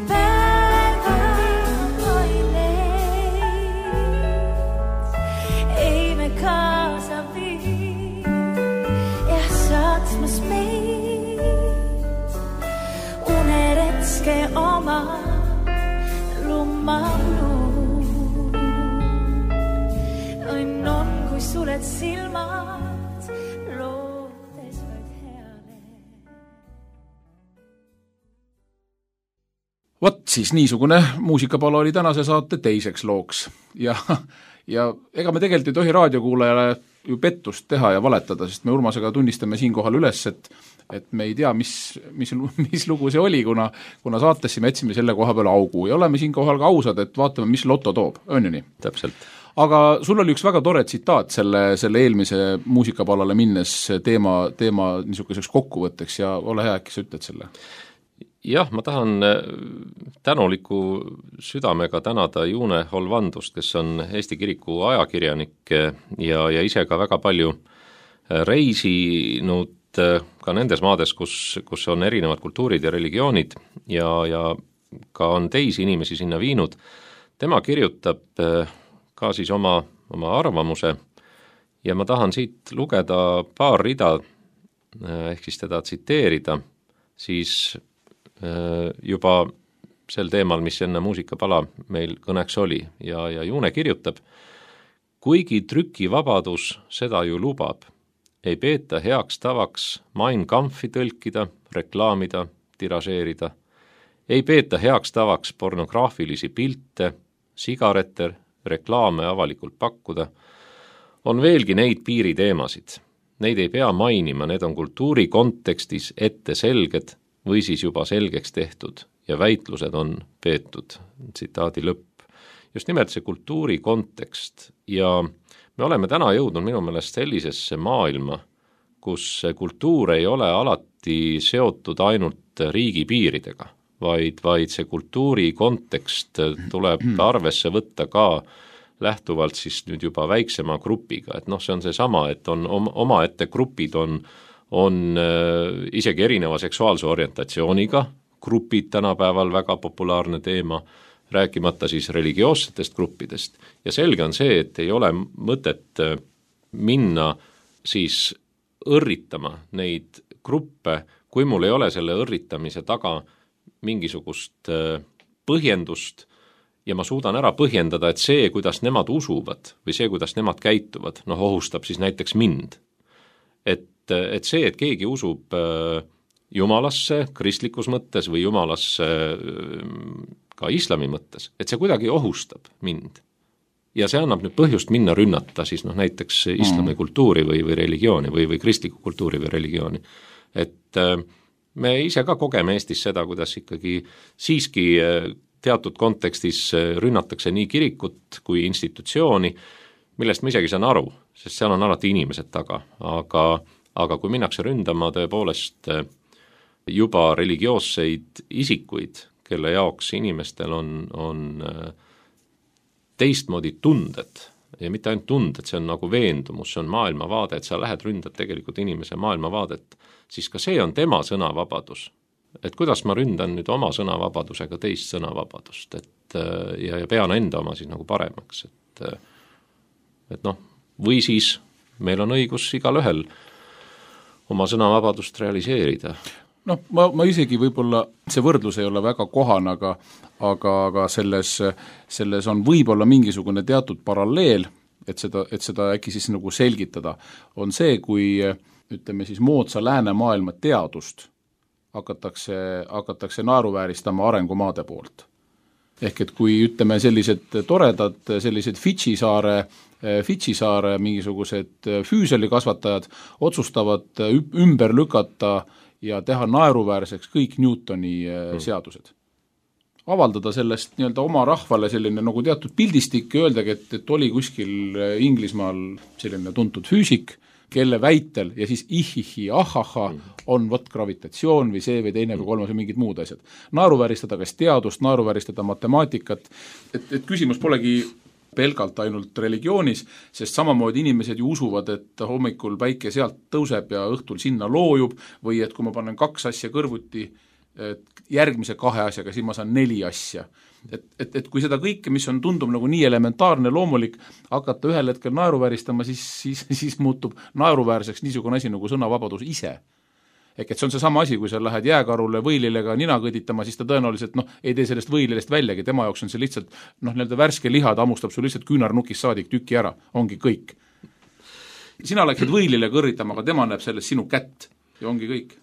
Päeva toineid, ei me kaasa viib, ja saatsmas meid, uneretske oma lummaluun. Õnn on, kui suled silmad, lootes vaid heale. Vot siis niisugune muusikapala oli tänase saate teiseks looks ja, ja ega me tegelikult ei tohi raadiokuulajale ju pettust teha ja valetada, sest me Urmasega tunnistame siinkohal üles, et, et me ei tea, mis, mis, mis lugu see oli, kuna, kuna saatesse me jätsime selle koha peale augu ja oleme siinkohal ka ausad, et vaatame, mis loto toob, on ju nii? Täpselt. Aga sul oli üks väga tore tsitaat selle, selle eelmise muusikapalale minnes teema, teema niisuguseks kokkuvõtteks ja ole hea, äkki sa ütled selle? Jah, ma tahan tänuliku südamega tänada June Holvandust, kes on Eesti Kiriku ajakirjanik ja, ja ise ka väga palju reisinud ka nendes maades, kus, kus on erinevad kultuurid ja religioonid ja, ja ka on teisi inimesi sinna viinud. Tema kirjutab ka siis oma, oma arvamuse ja ma tahan siit lugeda paar rida, ehk siis teda tsiteerida, siis juba sel teemal, mis enne muusikapala meil kõneks oli ja, ja June kirjutab, kuigi trükivabadus seda ju lubab, ei peeta heaks tavaks Mein Kampfi tõlkida, reklaamida, tiražeerida, ei peeta heaks tavaks pornograafilisi pilte, sigarette, reklaame avalikult pakkuda, on veelgi neid piiriteemasid. Neid ei pea mainima, need on kultuuri kontekstis ette selged või siis juba selgeks tehtud ja väitlused on peetud, tsitaadi lõpp. Just nimelt see kultuuri kontekst ja me oleme täna jõudnud minu meelest sellisesse maailma, kus kultuur ei ole alati seotud ainult riigi piiridega, vaid, vaid see kultuuri kontekst tuleb arvesse võtta ka lähtuvalt siis nüüd juba väiksema grupiga, et noh, see on see sama, et on omaette grupid on on äh, isegi erineva seksuaalse orientatsiooniga, grupid tänapäeval väga populaarne teema, rääkimata siis religioossetest gruppidest. Ja selge on see, et ei ole mõtet minna siis õrritama neid gruppe, kui mul ei ole selle õrritamise taga mingisugust äh, põhjendust ja ma suudan ära põhjendada, et see, kuidas nemad usuvad või see, kuidas nemad käituvad, noh, ohustab siis näiteks mind. Et et see, et keegi usub jumalasse kristlikus mõttes või jumalasse ka islami mõttes, et see kuidagi ohustab mind. Ja see annab nüüd põhjust minna rünnata siis noh, näiteks islami kultuuri või, või religiooni või, või kristliku kultuuri või religiooni. Et me ise ka kogeme Eestis seda, kuidas ikkagi siiski teatud kontekstis rünnatakse nii kirikut kui institutsiooni, millest ma isegi saan aru, sest seal on alati inimesed taga, aga aga kui minnakse ründama tõepoolest juba religioosseid isikuid, kelle jaoks inimestel on, on teistmoodi tunded ja mitte ainult tunded, see on nagu veendumus, see on maailmavaade, et sa lähed ründad tegelikult inimese maailmavaadet, siis ka see on tema sõnavabadus. Et kuidas ma ründan nüüd oma sõnavabadusega teist sõnavabadust, et ja, ja pean enda oma siis nagu paremaks, et, et noh, või siis meil on õigus igalühel oma sõnavabadust realiseerida. Noh, ma, ma isegi võib-olla, see võrdlus ei ole väga kohane, aga, aga, aga selles, selles on võib-olla mingisugune teatud paralleel, et seda, et seda äkki siis nagu selgitada, on see, kui ütleme siis moodsa läänemaailma teadust hakatakse, hakatakse naeruvääristama arengumaade poolt. Ehk et kui ütleme sellised toredad, sellised Fidži saare Fidži saare mingisugused füüselikasvatajad otsustavad ümber lükata ja teha naeruväärseks kõik Newtoni seadused. avaldada sellest nii-öelda oma rahvale selline nagu teatud pildistik ja öeldagi, et, et oli kuskil Inglismaal selline tuntud füüsik, kelle väitel ja siis ihihi, ahaha on võt gravitatsioon või see või teine või kolmas või mingid muud asjad. Naeruvääristada kas teadust, naeruvääristada matemaatikat, et, et küsimus polegi pelgalt ainult religioonis, sest samamoodi inimesed ju usuvad, et hommikul päike sealt tõuseb ja õhtul sinna loojub või et kui ma panen kaks asja kõrvuti, et järgmise kahe asjaga, siis ma saan neli asja. Et, et, et kui seda kõike, mis on tundub nagu nii elementaarne, loomulik, hakata ühel hetkel naeruvääristama, siis, siis, siis muutub naeruväärseks niisugune asi nagu sõnavabadus ise. Ehk et see on see sama asi, kui sa lähed jääkarule võililega nina kõditama, siis ta tõenäoliselt noh, ei tee sellest võililest väljagi, tema jaoks on see lihtsalt noh, nii-öelda värske liha, ta hammustab sul lihtsalt küünarnukis saadik tüki ära, ongi kõik. Sina läksid võilile kõrritama, aga tema näeb sellest sinu kätt ja ongi kõik.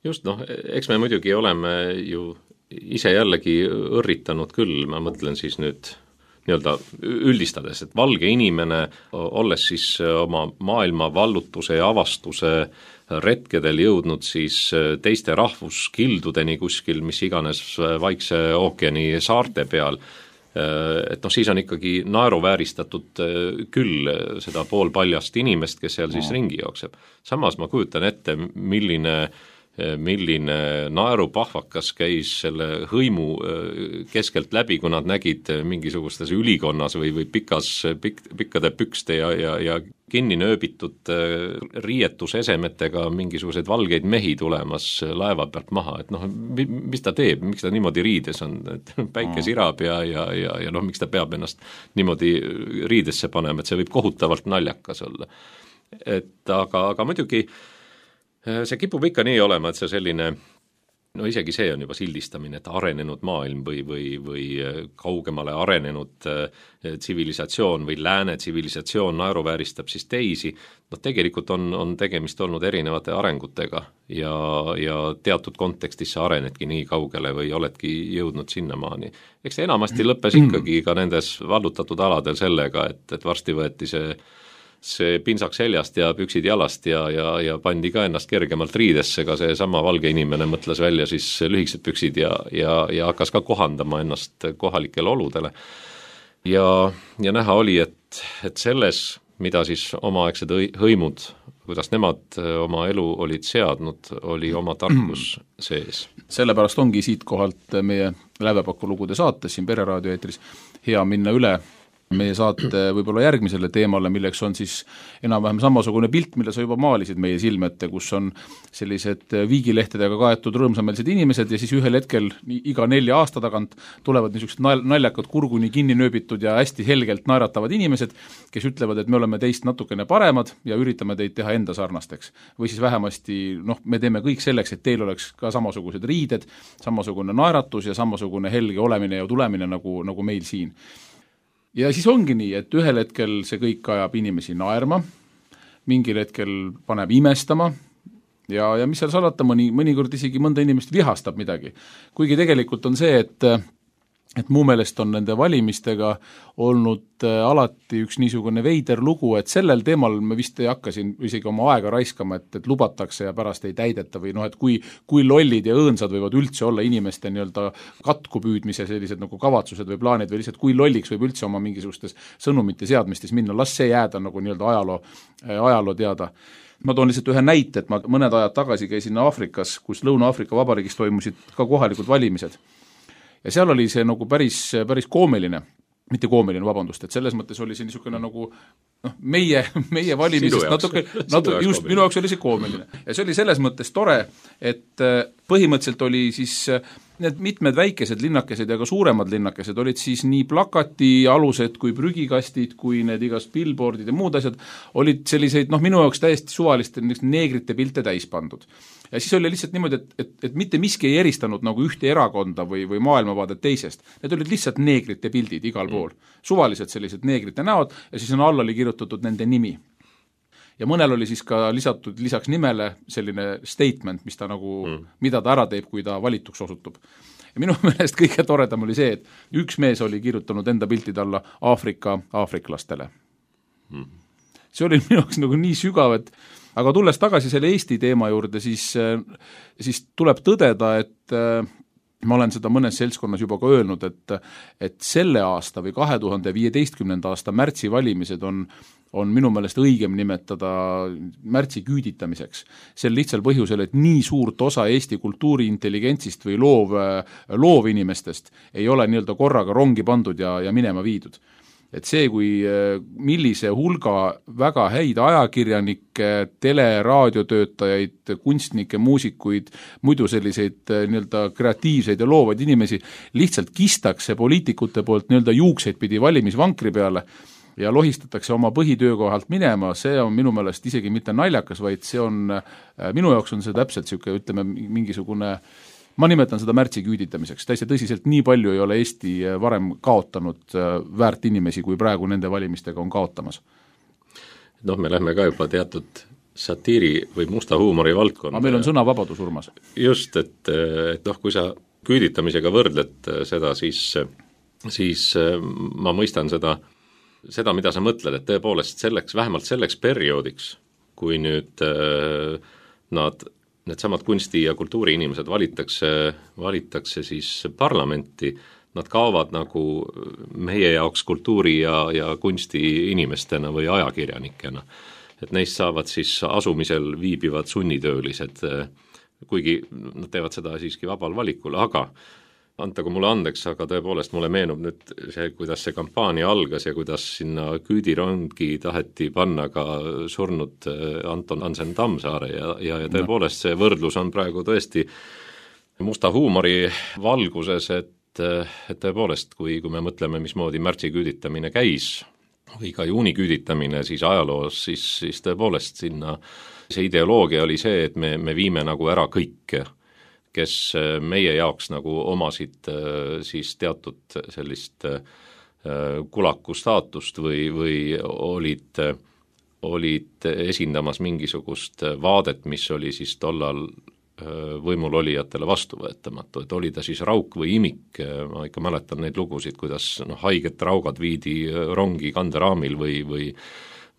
Just, noh, eks me muidugi oleme ju ise jällegi õrritanud küll, ma mõtlen siis nüüd nii-öelda üldistades, et valge inimene, olles siis oma maailma vallutuse ja avastuse retkedel jõudnud siis teiste rahvuskildudeni kuskil, mis iganes Vaikse ookeani saarte peal, et noh, siis on ikkagi naeruvääristatud küll seda poolpaljast inimest, kes seal siis ringi jookseb. Samas ma kujutan ette, milline milline naerupahvakas käis selle hõimu keskelt läbi, kui nad nägid mingisugustes ülikonnas või, või pikas, pik, pikkade pükste ja, ja, ja kinni nööbitud riietusesemetega mingisuguseid valgeid mehi tulemas laeva pealt maha, et noh, mis ta teeb, miks ta niimoodi riides on, et päike sirab ja, ja, ja, ja noh, miks ta peab ennast niimoodi riidesse panema, et see võib kohutavalt naljakas olla. Et aga, aga muidugi see kipub ikka nii olema, et see selline, no isegi see on juba sildistamine, et arenenud maailm või, või, või kaugemale arenenud tsivilisatsioon või lääne tsivilisatsioon naeruvääristab siis teisi, noh tegelikult on, on tegemist olnud erinevate arengutega ja, ja teatud kontekstis sa arenedki nii kaugele või oledki jõudnud sinnamaani. Eks see enamasti lõppes ikkagi ka nendes vallutatud aladel sellega, et, et varsti võeti see see pinsak seljast ja püksid jalast ja, ja, ja pandi ka ennast kergemalt riidesse, ka see sama valge inimene mõtles välja siis lühikesed püksid ja, ja, ja hakkas ka kohandama ennast kohalikele oludele. Ja, ja näha oli, et, et selles, mida siis omaaegsed hõimud, kuidas nemad oma elu olid seadnud, oli oma tarkus sees. Sellepärast ongi siit kohalt meie Lävepaku lugude saates siin Pereraadio eetris hea minna üle meie saate võib-olla järgmisele teemale, milleks on siis enam-vähem samasugune pilt, mille sa juba maalisid meie silmete, kus on sellised viigilehtedega kaetud rõõmsameelsed inimesed ja siis ühel hetkel iga nelja aasta tagant tulevad niisugused naljakad kurguni kinni nööbitud ja hästi helgelt naeratavad inimesed, kes ütlevad, et me oleme teist natukene paremad ja üritame teid teha enda sarnasteks. Või siis vähemasti, noh, me teeme kõik selleks, et teil oleks ka samasugused riided, samasugune naeratus ja samasugune helge olemine ja tulemine nagu, nagu meil siin. Ja siis ongi nii, et ühel hetkel see kõik ajab inimesi naerma, mingil hetkel paneb imestama ja, ja mis seal salata, mõni, mõnikord isegi mõnda inimest vihastab midagi. Kuigi tegelikult on see, et, et mu meelest on nende valimistega olnud alati üks niisugune veider lugu, et sellel teemal me vist ei hakka siin isegi oma aega raiskama, et, et lubatakse ja pärast ei täideta või noh, et kui, kui lollid ja õõnsad võivad üldse olla inimeste nii-öelda katku püüdmise sellised nagu kavatsused või plaanid või lihtsalt kui lolliks võib üldse oma mingisugustes sõnumite seadmistes minna, las see jääda nagu nii-öelda ajaloo, ajaloo teada. Ma toon lihtsalt ühe näite, et ma mõned ajad tagasi käisin Aafrikas, kus Lõuna-Aafrika Vabariigis toimusid ka kohalikud valimised. Ja seal oli see nagu päris, päris koomiline, mitte koomiline, vabandust, et selles mõttes oli see niisugune nagu noh, meie, meie valimisest natuke, natuke just minu jaoks oli see koomiline. Ja see oli selles mõttes tore, et põhimõtteliselt oli siis need mitmed väikesed linnakesed ja ka suuremad linnakesed olid siis nii plakati alused kui prügikastid, kui need igast billboardid ja muud asjad olid selliseid, noh minu jaoks täiesti suvaliste neegrite pilte täis pandud. Ja siis oli lihtsalt niimoodi, et, et, et mitte miski ei eristanud nagu ühte erakonda või, või maailmavaadet teisest. Need olid lihtsalt neegrite pildid igal pool. Suvalised sellised neegrite näod ja siis on alla oli kirjutatud nende nimi. Ja mõnel oli siis ka lisatud lisaks nimele selline statement, mis ta nagu, mm. mida ta ära teeb, kui ta valituks osutub. Ja minu meelest kõige toredam oli see, et üks mees oli kirjutanud enda piltide alla Aafrika aafriklastele. Mm. See oli minu jaoks nagu nii sügav, et aga tulles tagasi selle Eesti teema juurde, siis, siis tuleb tõdeda, et, ma olen seda mõnes seltskonnas juba ka öelnud, et, et selle aasta või kahe tuhande viieteistkümnenda aasta märtsi valimised on on minu meelest õigem nimetada märtsi küüditamiseks. Sel lihtsal põhjusel, et nii suurt osa Eesti kultuuri intelligentsist või loov, loovinimestest ei ole nii-öelda korraga rongi pandud ja, ja minema viidud. Et see, kui millise hulga väga häid ajakirjanikke, tele, raadiotöötajaid, kunstnikke, muusikuid, muidu selliseid nii-öelda kreatiivseid ja loovaid inimesi lihtsalt kistakse poliitikute poolt nii-öelda juukseid pidi valimisvankri peale ja lohistatakse oma põhitöökohalt minema, see on minu meelest isegi mitte naljakas, vaid see on, minu jaoks on see täpselt siuke, ütleme, mingisugune, ma nimetan seda märtsi küüditamiseks, täiesti tõsiselt nii palju ei ole Eesti varem kaotanud väärt inimesi, kui praegu nende valimistega on kaotamas. Noh, me lähme ka juba teatud satiiri või musta huumori valdkonda. Aga meil on sõnavabadus, Urmas. Just, et, et noh, kui sa küüditamisega võrdled seda, siis, siis ma mõistan seda seda, mida sa mõtled, et tõepoolest selleks, vähemalt selleks perioodiks, kui nüüd äh, nad, need samad kunsti- ja kultuuriinimesed valitakse, valitakse siis parlamenti, nad kaovad nagu meie jaoks kultuuri- ja, ja kunstiinimestena või ajakirjanikena. Et neist saavad siis asumisel viibivad sunnitöölised, kuigi nad teevad seda siiski vabal valikul, aga antagu mulle andeks, aga tõepoolest mulle meenub nüüd see, kuidas see kampaania algas ja kuidas sinna küüdirongi taheti panna ka surnud Anton Hansen Tammsaare ja, ja, ja tõepoolest see võrdlus on praegu tõesti musta huumori valguses, et, et tõepoolest, kui, kui me mõtleme, mismoodi märtsi küüditamine käis või ka juuni küüditamine siis ajaloos, siis, siis tõepoolest sinna see ideoloogia oli see, et me, me viime nagu ära kõik, kes meie jaoks nagu omasid siis teatud sellist kulaku staatust või, või olid, olid esindamas mingisugust vaadet, mis oli siis tollal võimul olijatele vastuvõetamatu, et oli ta siis rauk või imik, ma ikka mäletan neid lugusid, kuidas no, haiget raugad viidi rongi kanderaamil või, või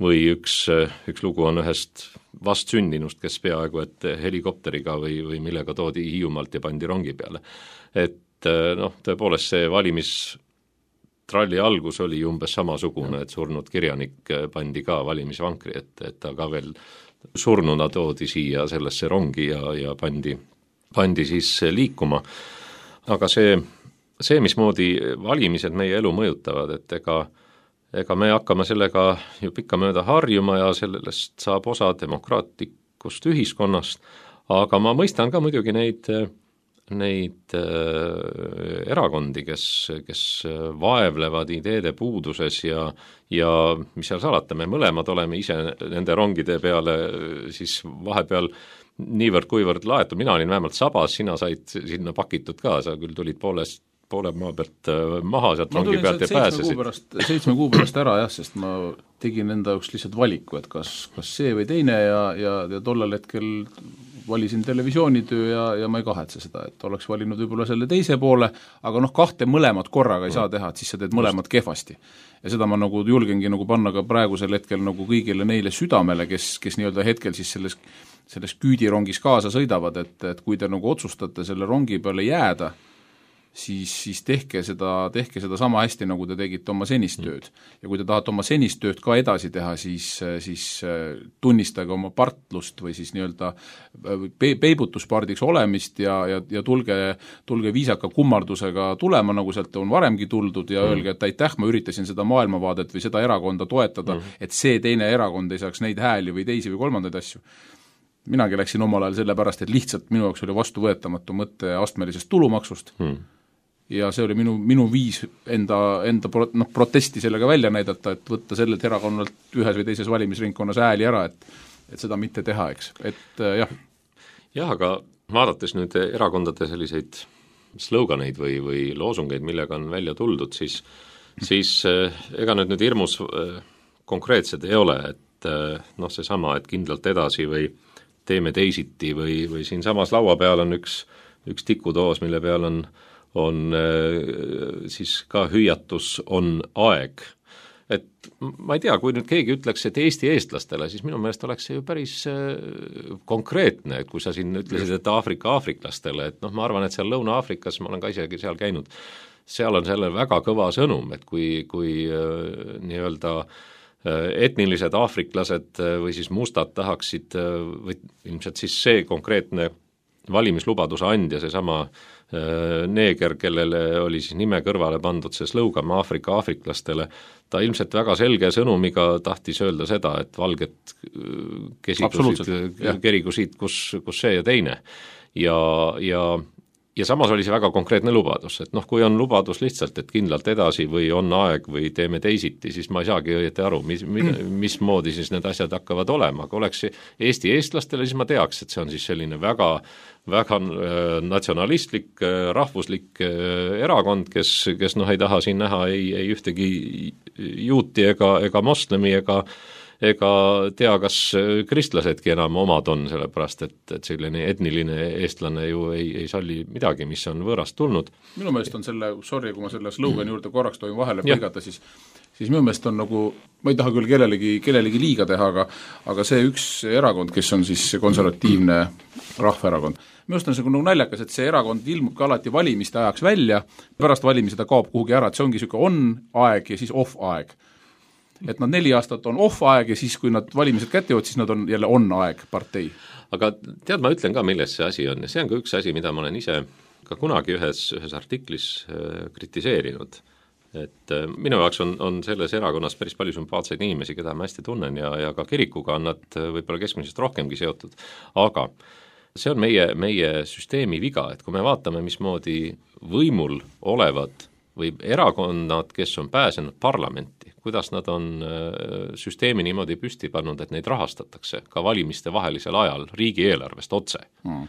või üks, üks lugu on ühest vastsündinust, kes peaaegu et helikopteriga või, või millega toodi Hiiumaalt ja pandi rongi peale. Et noh, tõepoolest see valimistralli algus oli umbes samasugune, et surnud kirjanik pandi ka valimisvankri, et, et ta ka veel surnuna toodi siia sellesse rongi ja, ja pandi, pandi siis liikuma. Aga see, see, mismoodi valimised meie elu mõjutavad, et ega ega me hakkame sellega ju pikkamööda harjuma ja sellest saab osa demokraatlikust ühiskonnast, aga ma mõistan ka muidugi neid, neid äh, erakondi, kes, kes vaevlevad ideede puuduses ja, ja mis seal salata, me mõlemad oleme ise nende rongide peale siis vahepeal niivõrd kuivõrd laetud, mina olin vähemalt sabas, sina said sinna pakitud ka, sa küll tulid poolest poole maa pealt maha sealt rongi pealt ja pääsesid. Seitsme kuu pärast ära jah, sest ma tegin enda jaoks lihtsalt valiku, et kas, kas see või teine ja, ja, ja tollal hetkel valisin televisioonitöö ja, ja ma ei kahetse seda, et oleks valinud võib-olla selle teise poole, aga noh, kahte mõlemad korraga ei saa teha, et siis sa teed mõlemad kehvasti. Ja seda ma nagu julgengi nagu panna ka praegusel hetkel nagu kõigile neile südamele, kes, kes nii-öelda hetkel siis selles, selles küüdirongis kaasa sõidavad, et, et kui te nagu otsustate selle rongi peale jääda, siis, siis tehke seda, tehke seda sama hästi, nagu te tegite oma senist tööd. Ja kui te tahate oma senist tööd ka edasi teha, siis, siis tunnistage oma partlust või siis nii-öelda pe- peibutuspardiks olemist ja, ja, ja tulge, tulge viisaka kummardusega tulema, nagu sealt on varemgi tuldud ja mm. öelge, et aitäh, ma üritasin seda maailmavaadet või seda erakonda toetada, mm. et see teine erakond ei saaks neid hääli või teisi või kolmandaid asju. Minagi läksin omal ajal selle pärast, et lihtsalt minu jaoks oli vastuvõetamatu mõtte astmelisest tulumaksust mm. ja see oli minu, minu viis enda, enda pro, no, protesti sellega välja näidata, et võtta sellelt erakonnalt ühes või teises valimisringkonnas hääli ära, et, et seda mitte teha, eks, et äh, jah. jah, aga vaadates nüüd erakondade selliseid sloganeid või, või loosungeid, millega on välja tuldud, siis, siis äh, ega need nüüd hirmus äh, konkreetsed ei ole, et äh, noh, seesama, et kindlalt edasi või teeme teisiti või, või siin samas laua peal on üks, üks tikutoos, mille peal on on siis ka hüüatus on aeg, et ma ei tea, kui nüüd keegi ütleks, et Eesti eestlastele, siis minu meelest oleks see ju päris konkreetne, et kui sa siin ütlesid, et Aafrika aafriklastele, et noh, ma arvan, et seal Lõuna-Aafrikas, ma olen ka isegi seal käinud, seal on sellel väga kõva sõnum, et kui, kui nii-öelda etnilised aafriklased või siis mustad tahaksid, või ilmselt siis see konkreetne valimislubaduse andja, seesama neeger, kellele oli siis nime kõrvale pandud see slõugam Aafrika aafriklastele, ta ilmselt väga selge sõnumiga tahtis öelda seda, et valged kesigusid, kerigusid, kus, kus see ja teine. Ja, ja Ja samas oli see väga konkreetne lubadus, et noh, kui on lubadus lihtsalt, et kindlalt edasi või on aeg või teeme teisiti, siis ma ei saagi õieti aru, mis, mismoodi siis need asjad hakkavad olema, aga oleks Eesti eestlastele, siis ma teaks, et see on siis selline väga, väga natsionalistlik, rahvuslik erakond, kes, kes noh, ei taha siin näha ei, ei ühtegi juuti ega, ega moslemi ega ega tea, kas kristlasedki enam omad on, sellepärast et, et selline etniline eestlane ju ei, ei salli midagi, mis on võõrast tulnud. Minu meelest on selle, sorry, kui ma selle slogani juurde korraks tohin vahele põigata, siis siis minu meelest on nagu, ma ei taha küll kellelegi, kellelegi liiga teha, aga, aga see üks erakond, kes on siis konservatiivne rahvaerakond, minu meelest on see nagu naljakas, et see erakond ilmub ka alati valimiste ajaks välja, pärast valimisi ta kaob kuhugi ära, et see ongi niisugune on-aeg ja siis off-aeg. Et nad neli aastat on off-aeg ja siis, kui nad valimised kätte jõud, siis nad on jälle on-aeg partei. Aga tead, ma ütlen ka, milles see asi on ja see on ka üks asi, mida ma olen ise ka kunagi ühes, ühes artiklis äh, kritiseerinud. Et äh, minu jaoks on, on selles erakonnas päris palju sümpaatseid inimesi, keda ma hästi tunnen ja, ja ka kirikuga on nad võib-olla keskmisest rohkemgi seotud, aga see on meie, meie süsteemi viga, et kui me vaatame, mismoodi võimul olevad või erakonnad, kes on pääsenud parlamenti, kuidas nad on süsteemi niimoodi püsti pannud, et neid rahastatakse ka valimiste vahelisel ajal riigieelarvest otse, mm.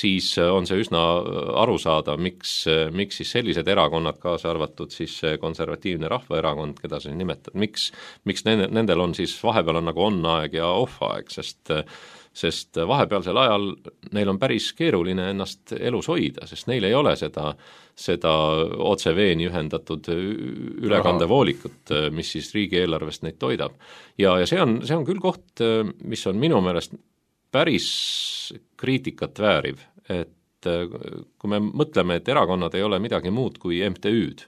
siis on see üsna aru saada, miks, miks siis sellised erakonnad, kaasa arvatud siis konservatiivne rahvaerakond, keda sa nimetad, miks, miks nendel on siis vahepeal on nagu on-aeg ja off-aeg, sest sest vahepealsel ajal neil on päris keeruline ennast elus hoida, sest neil ei ole seda, seda otse veeni ühendatud ülekandevoolikut, mis siis riigieelarvest neid toidab. Ja, ja see on, see on küll koht, mis on minu meelest päris kriitikat vääriv, et kui me mõtleme, et erakonnad ei ole midagi muud kui M T Ü'd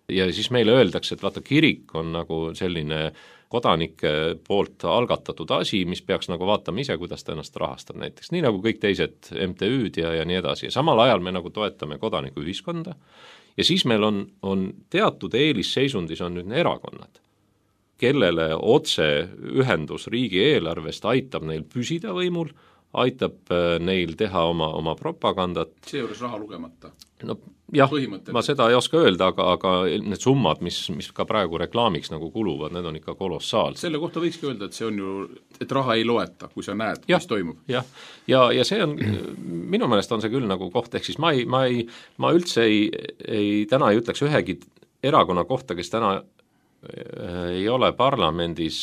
ja siis meile öeldakse, et vaata, kirik on nagu selline kodanike poolt algatatud asi, mis peaks nagu vaatama ise, kuidas ta ennast rahastab näiteks, nii nagu kõik teised M T Ü'd ja, ja nii edasi. Ja samal ajal me nagu toetame kodanikuühiskonda ja siis meil on, on teatud eelisseisundis on nüüd erakonnad, kellele otse ühendus riigieelarvest aitab neil püsida võimul, aitab neil teha oma, oma propagandat. Seejuures raha lugemata. No jah, ma seda ei oska öelda, aga, aga need summad, mis, mis ka praegu reklaamiks nagu kuluvad, need on ikka kolossaalsed. Selle kohta võikski öelda, et see on ju, et raha ei loeta, kui sa näed, ja, mis toimub. Jah, ja, ja see on, minu meelest on see küll nagu koht, ehk siis ma, ei, ma, ei, ma üldse ei, ei, täna ei ütleks ühegi erakonna kohta, kes täna ei ole parlamendis,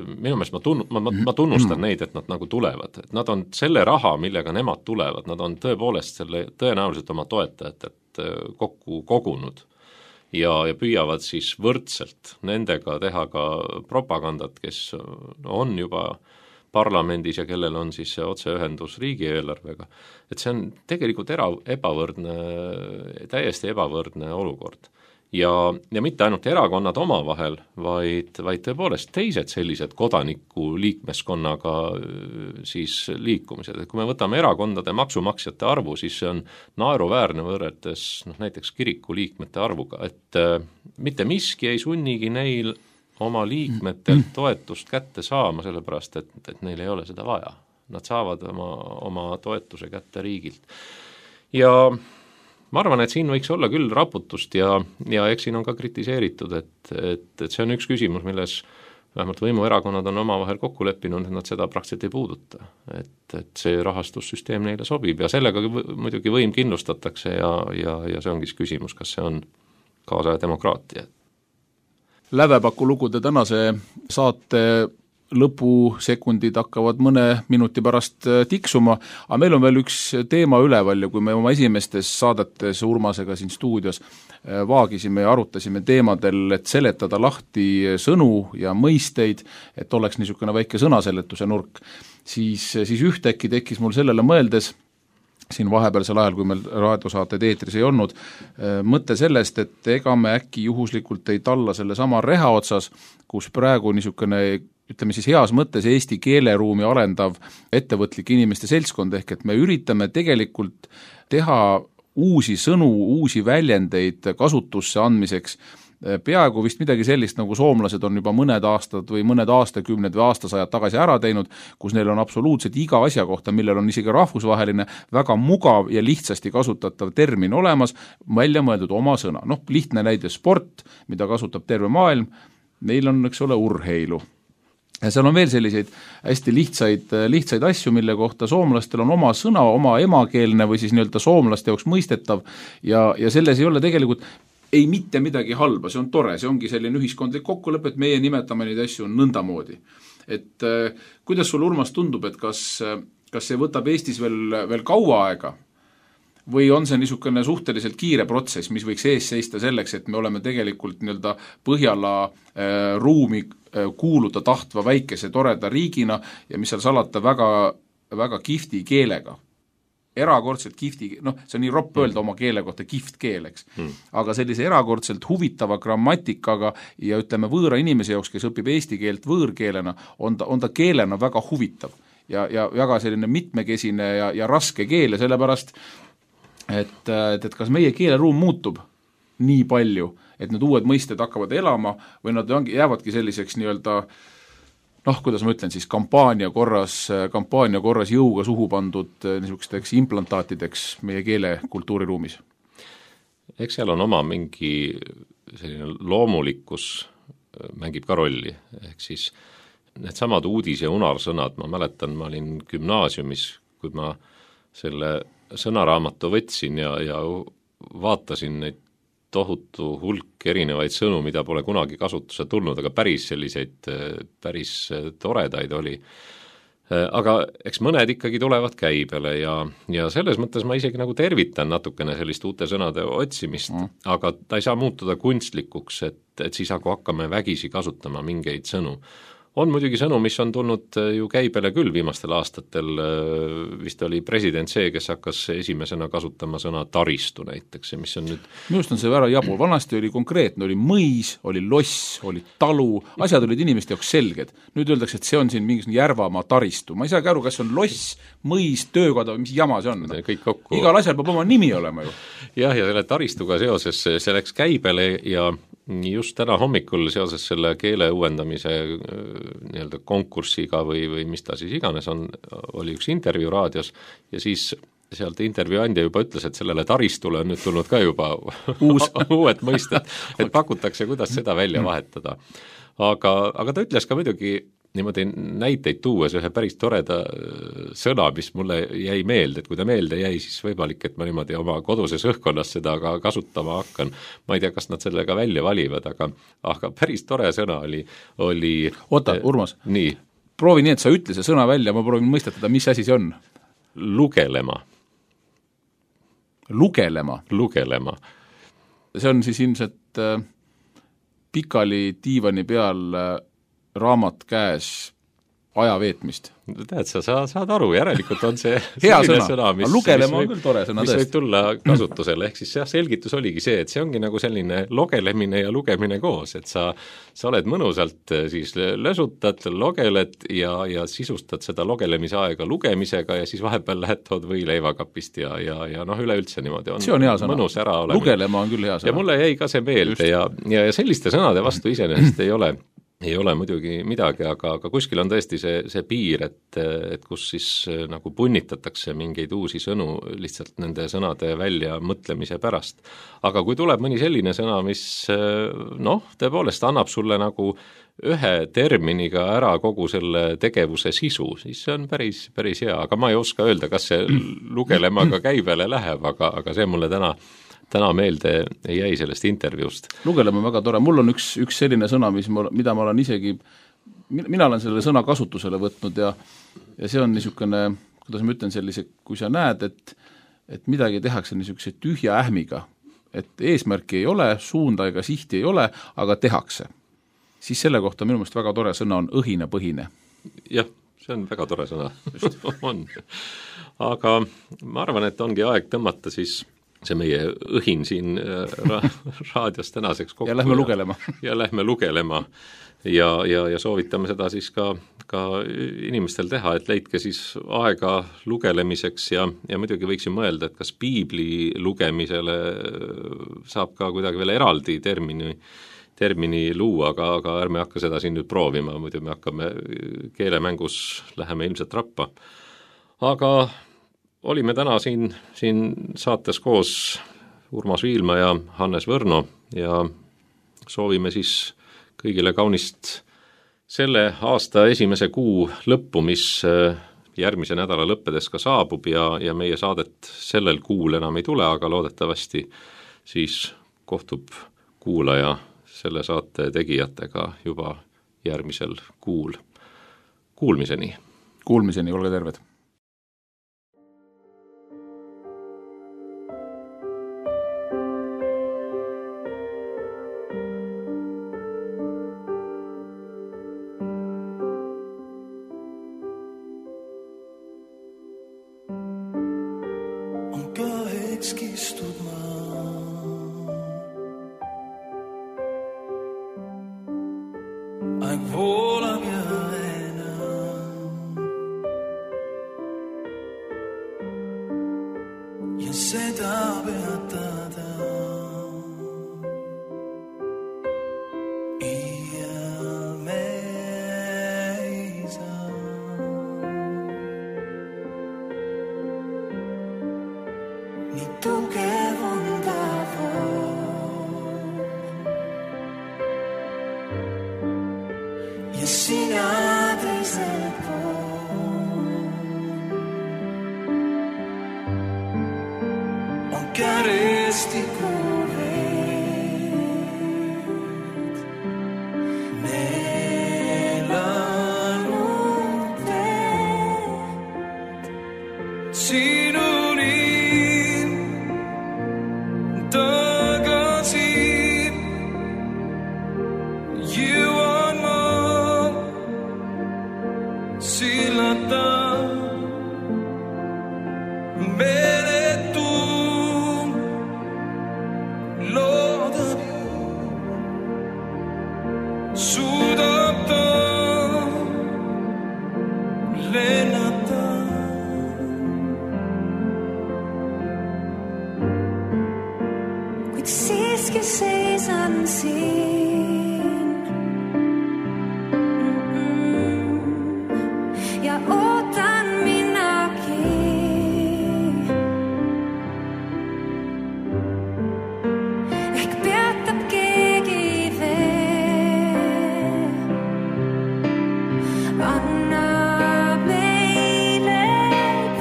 minu meelest ma, tunn, ma, ma tunnustan neid, et nad nagu tulevad, et nad on selle raha, millega nemad tulevad, nad on tõepoolest selle tõenäoliselt oma toetajatelt kokku kogunud ja, ja püüavad siis võrdselt nendega teha ka propagandat, kes on juba parlamendis ja kellel on siis see otseühendus riigieelarvega, et see on tegelikult era, ebavõrdne, täiesti ebavõrdne olukord. Ja, ja mitte ainult erakonnad omavahel, vaid, vaid tõepoolest teised sellised kodaniku liikmeskonnaga siis liikumised. Et kui me võtame erakondade maksumaksjate arvu, siis see on naeruväärne võrreldes noh, näiteks kiriku liikmete arvuga, et äh, mitte miski ei sunnigi neil oma liikmetelt toetust kätte saama, sellepärast et, et neil ei ole seda vaja. Nad saavad oma, oma toetuse kätte riigilt. Ja ma arvan, et siin võiks olla küll raputust ja, ja eks siin on ka kritiseeritud, et, et, et see on üks küsimus, milles vähemalt võimuerakonnad on omavahel kokku leppinud, et nad seda praktiliselt ei puuduta. Et, et see rahastussüsteem neile sobib ja sellega muidugi võim kindlustatakse ja, ja, ja see ongi küsimus, kas see on kaasaja demokraatia. Lävepaku lugude tänase saate lõpusekundid hakkavad mõne minuti pärast tiksuma, aga meil on veel üks teema üleval ja kui me oma esimestes saadetes Urmasega siin stuudios vaagisime ja arutasime teemadel, et seletada lahti sõnu ja mõisteid, et oleks niisugune väike sõnaseletuse nurk, siis, siis ühtäkki tekkis mul sellele mõeldes siin vahepealsel ajal, kui meil raadiosaated eetris ei olnud, mõte sellest, et ega me äkki juhuslikult ei talla selle sama reha otsas, kus praegu niisugune, ütleme siis heas mõttes Eesti keeleruumi arendav ettevõtlik inimeste seltskond, ehk et me üritame tegelikult teha uusi sõnu, uusi väljendeid kasutusse andmiseks, peaaegu vist midagi sellist, nagu soomlased on juba mõned aastad või mõned aastakümned või aastasajad tagasi ära teinud, kus neil on absoluutselt iga asja kohta, millel on isegi rahvusvaheline, väga mugav ja lihtsasti kasutatav termin olemas, välja mõeldud oma sõna. Noh, lihtne näide sport, mida kasutab terve maailm, neil on, eks ole, urheilu. Ja seal on veel selliseid hästi lihtsaid, lihtsaid asju, mille kohta soomlastel on oma sõna, oma emakeelne või siis nii-öelda soomlaste jaoks mõistetav ja, ja selles ei ole tegelikult ei mitte midagi halba, see on tore, see ongi selline ühiskondlik kokkulepe, et meie nimetame neid asju nõndamoodi. Et äh, kuidas sul, Urmas, tundub, et kas, kas see võtab Eestis veel, veel kaua aega või on see niisugune suhteliselt kiire protsess, mis võiks ees seista selleks, et me oleme tegelikult nii-öelda Põhjala äh, ruumi äh, kuuluda tahtva väikese toreda riigina ja mis seal salata väga, väga kihvti keelega. Erakordselt kihvti, noh, see on nii ropp öelda oma keele kohta kihvt keel, eks. Mm. Aga sellise erakordselt huvitava grammatikaga ja ütleme võõra inimese jaoks, kes õpib eesti keelt võõrkeelena, on ta, on ta keelena väga huvitav ja, ja väga selline mitmekesine ja, ja raske keel ja sellepärast, et, et, et kas meie keeleruum muutub nii palju, et need uued mõisted hakkavad elama või nad jäävadki selliseks nii-öelda noh, kuidas ma ütlen siis, kampaania korras, kampaania korras jõuga suhu pandud niisugusteks implantaatideks meie keele kultuuriruumis? Eks seal on oma mingi selline loomulikkus mängib ka rolli, ehk siis need samad uudis- ja unarsõnad, ma mäletan, ma olin gümnaasiumis, kui ma selle sõnaraamatu võtsin ja, ja vaatasin neid tohutu hulk erinevaid sõnu, mida pole kunagi kasutuse tulnud, aga päris selliseid, päris toredaid oli. Aga eks mõned ikkagi tulevad käibele ja, ja selles mõttes ma isegi nagu tervitan natukene sellist uute sõnade otsimist, mm. aga ta ei saa muutuda kunstlikuks, et, et siis aga hakkame vägisi kasutama mingeid sõnu. On muidugi sõnu, mis on tulnud ju käibele küll viimastel aastatel, vist oli president see, kes hakkas esimesena kasutama sõna taristu näiteks, mis on nüüd... Minust on see väga jabur, vanasti oli konkreetne, oli mõis, oli loss, oli talu, asjad olid inimeste jaoks selged. Nüüd öeldakse, et see on siin mingisugune Järvamaa taristu, ma ei saagi aru, kas on loss, mõis, töökoda või mis jama see on. Kõik kokku... Igal asjal peab oma nimi olema ju. Jah, ja selle taristuga seoses see läks käibele ja just täna hommikul seoses selle keele uuendamise nii-öelda konkursiga või, või mis ta siis iganes on, oli üks intervjuu raadios ja siis sealt intervjuu andja juba ütles, et sellele taristule on nüüd tulnud ka juba uus uued mõisted, et pakutakse, kuidas seda välja vahetada. Aga, aga ta ütles ka muidugi niimoodi näiteid tuues ühe päris toreda sõna, mis mulle jäi meelde, et kui ta meelde jäi, siis võimalik, et ma niimoodi oma koduses õhkkonnas seda ka kasutama hakkan. Ma ei tea, kas nad sellega välja valivad, aga, aga päris tore sõna oli, oli Oota, Urmas, nii. proovi nii, et sa ütle see sõna välja, ma proovin mõistetada, mis asi see on. Lugelema. Lugelema? Lugelema. See on siis ilmselt äh, pikali diivani peal äh, raamat käes aja veetmist. Tead, sa, sa saad aru, järelikult on see hea sõna, sõna mis, lugelema mis on küll tore sõna mis võib tulla kasutusele, ehk siis jah, selgitus oligi see, et see ongi nagu selline logelemine ja lugemine koos, et sa, sa oled mõnusalt siis lösutad, logeled ja, ja sisustad seda logelemise aega lugemisega ja siis vahepeal lähed tood võileivakapist ja, ja, ja noh, üleüldse niimoodi on, see on hea sõna, mõnus ära olemine. Lugelema on küll hea sõna. Ja mulle jäi ka see meelde ja, ja, ja selliste sõnade vastu iseenesest ei ole ei ole muidugi midagi, aga, aga kuskil on tõesti see, see piir, et, et kus siis nagu punnitatakse mingeid uusi sõnu lihtsalt nende sõnade välja mõtlemise pärast. Aga kui tuleb mõni selline sõna, mis noh, tõepoolest annab sulle nagu ühe terminiga ära kogu selle tegevuse sisu, siis see on päris, päris hea, aga ma ei oska öelda, kas see lugelemaga käibele läheb, aga, aga see mulle täna täna meelde jäi sellest intervjuust. Lugelema väga tore, mul on üks, üks selline sõna, mis ma, mida ma olen isegi mina olen selle sõna kasutusele võtnud ja, ja see on niisugune, kuidas ma ütlen sellise, kui sa näed, et, et midagi tehakse niisuguse tühja ähmiga, et eesmärki ei ole, suunda ega sihti ei ole, aga tehakse. Siis selle kohta minu meelest väga tore sõna on õhinapõhine. Jah, see on väga tore sõna. on. Aga ma arvan, et ongi aeg tõmmata siis see meie õhin siin ra- raadios tänaseks kokku. Ja lähme lugelema. ja lähme lugelema. Ja, ja, ja soovitame seda siis ka, ka inimestel teha, et leidke siis aega lugelemiseks ja, ja muidugi võiksin mõelda, et kas piibli lugemisele saab ka kuidagi veel eraldi termini, termini luua, aga, aga ärme hakka seda siin nüüd proovima, muidu me hakkame keelemängus, läheme ilmselt rappa. Aga olime täna siin, siin saates koos Urmas Viilma ja Hannes Võrno ja soovime siis kõigile kaunist selle aasta esimese kuu lõppu, mis järgmise nädala lõppedes ka saabub ja, ja meie saadet sellel kuul enam ei tule, aga loodetavasti siis kohtub kuulaja selle saate tegijatega juba järgmisel kuul. Kuulmiseni. Kuulmiseni, olge terved. Kistud maa. Aeg voolab ja enam ja seda peatada iial me ei saa. Nii tugev on ta vool ja sina teisel pool on kärestiku veed neelanud teed sinu siiski seisan siin mm-mm. ja ootan minagi. Ehk peatab keegi veel, anna meile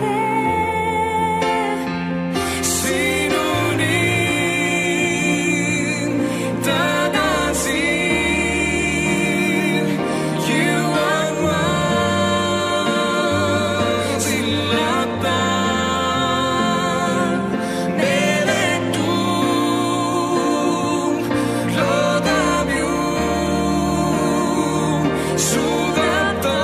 tee sinuni. Suudab ta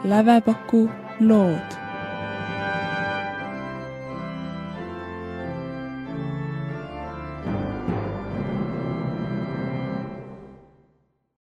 Lävepaku lood.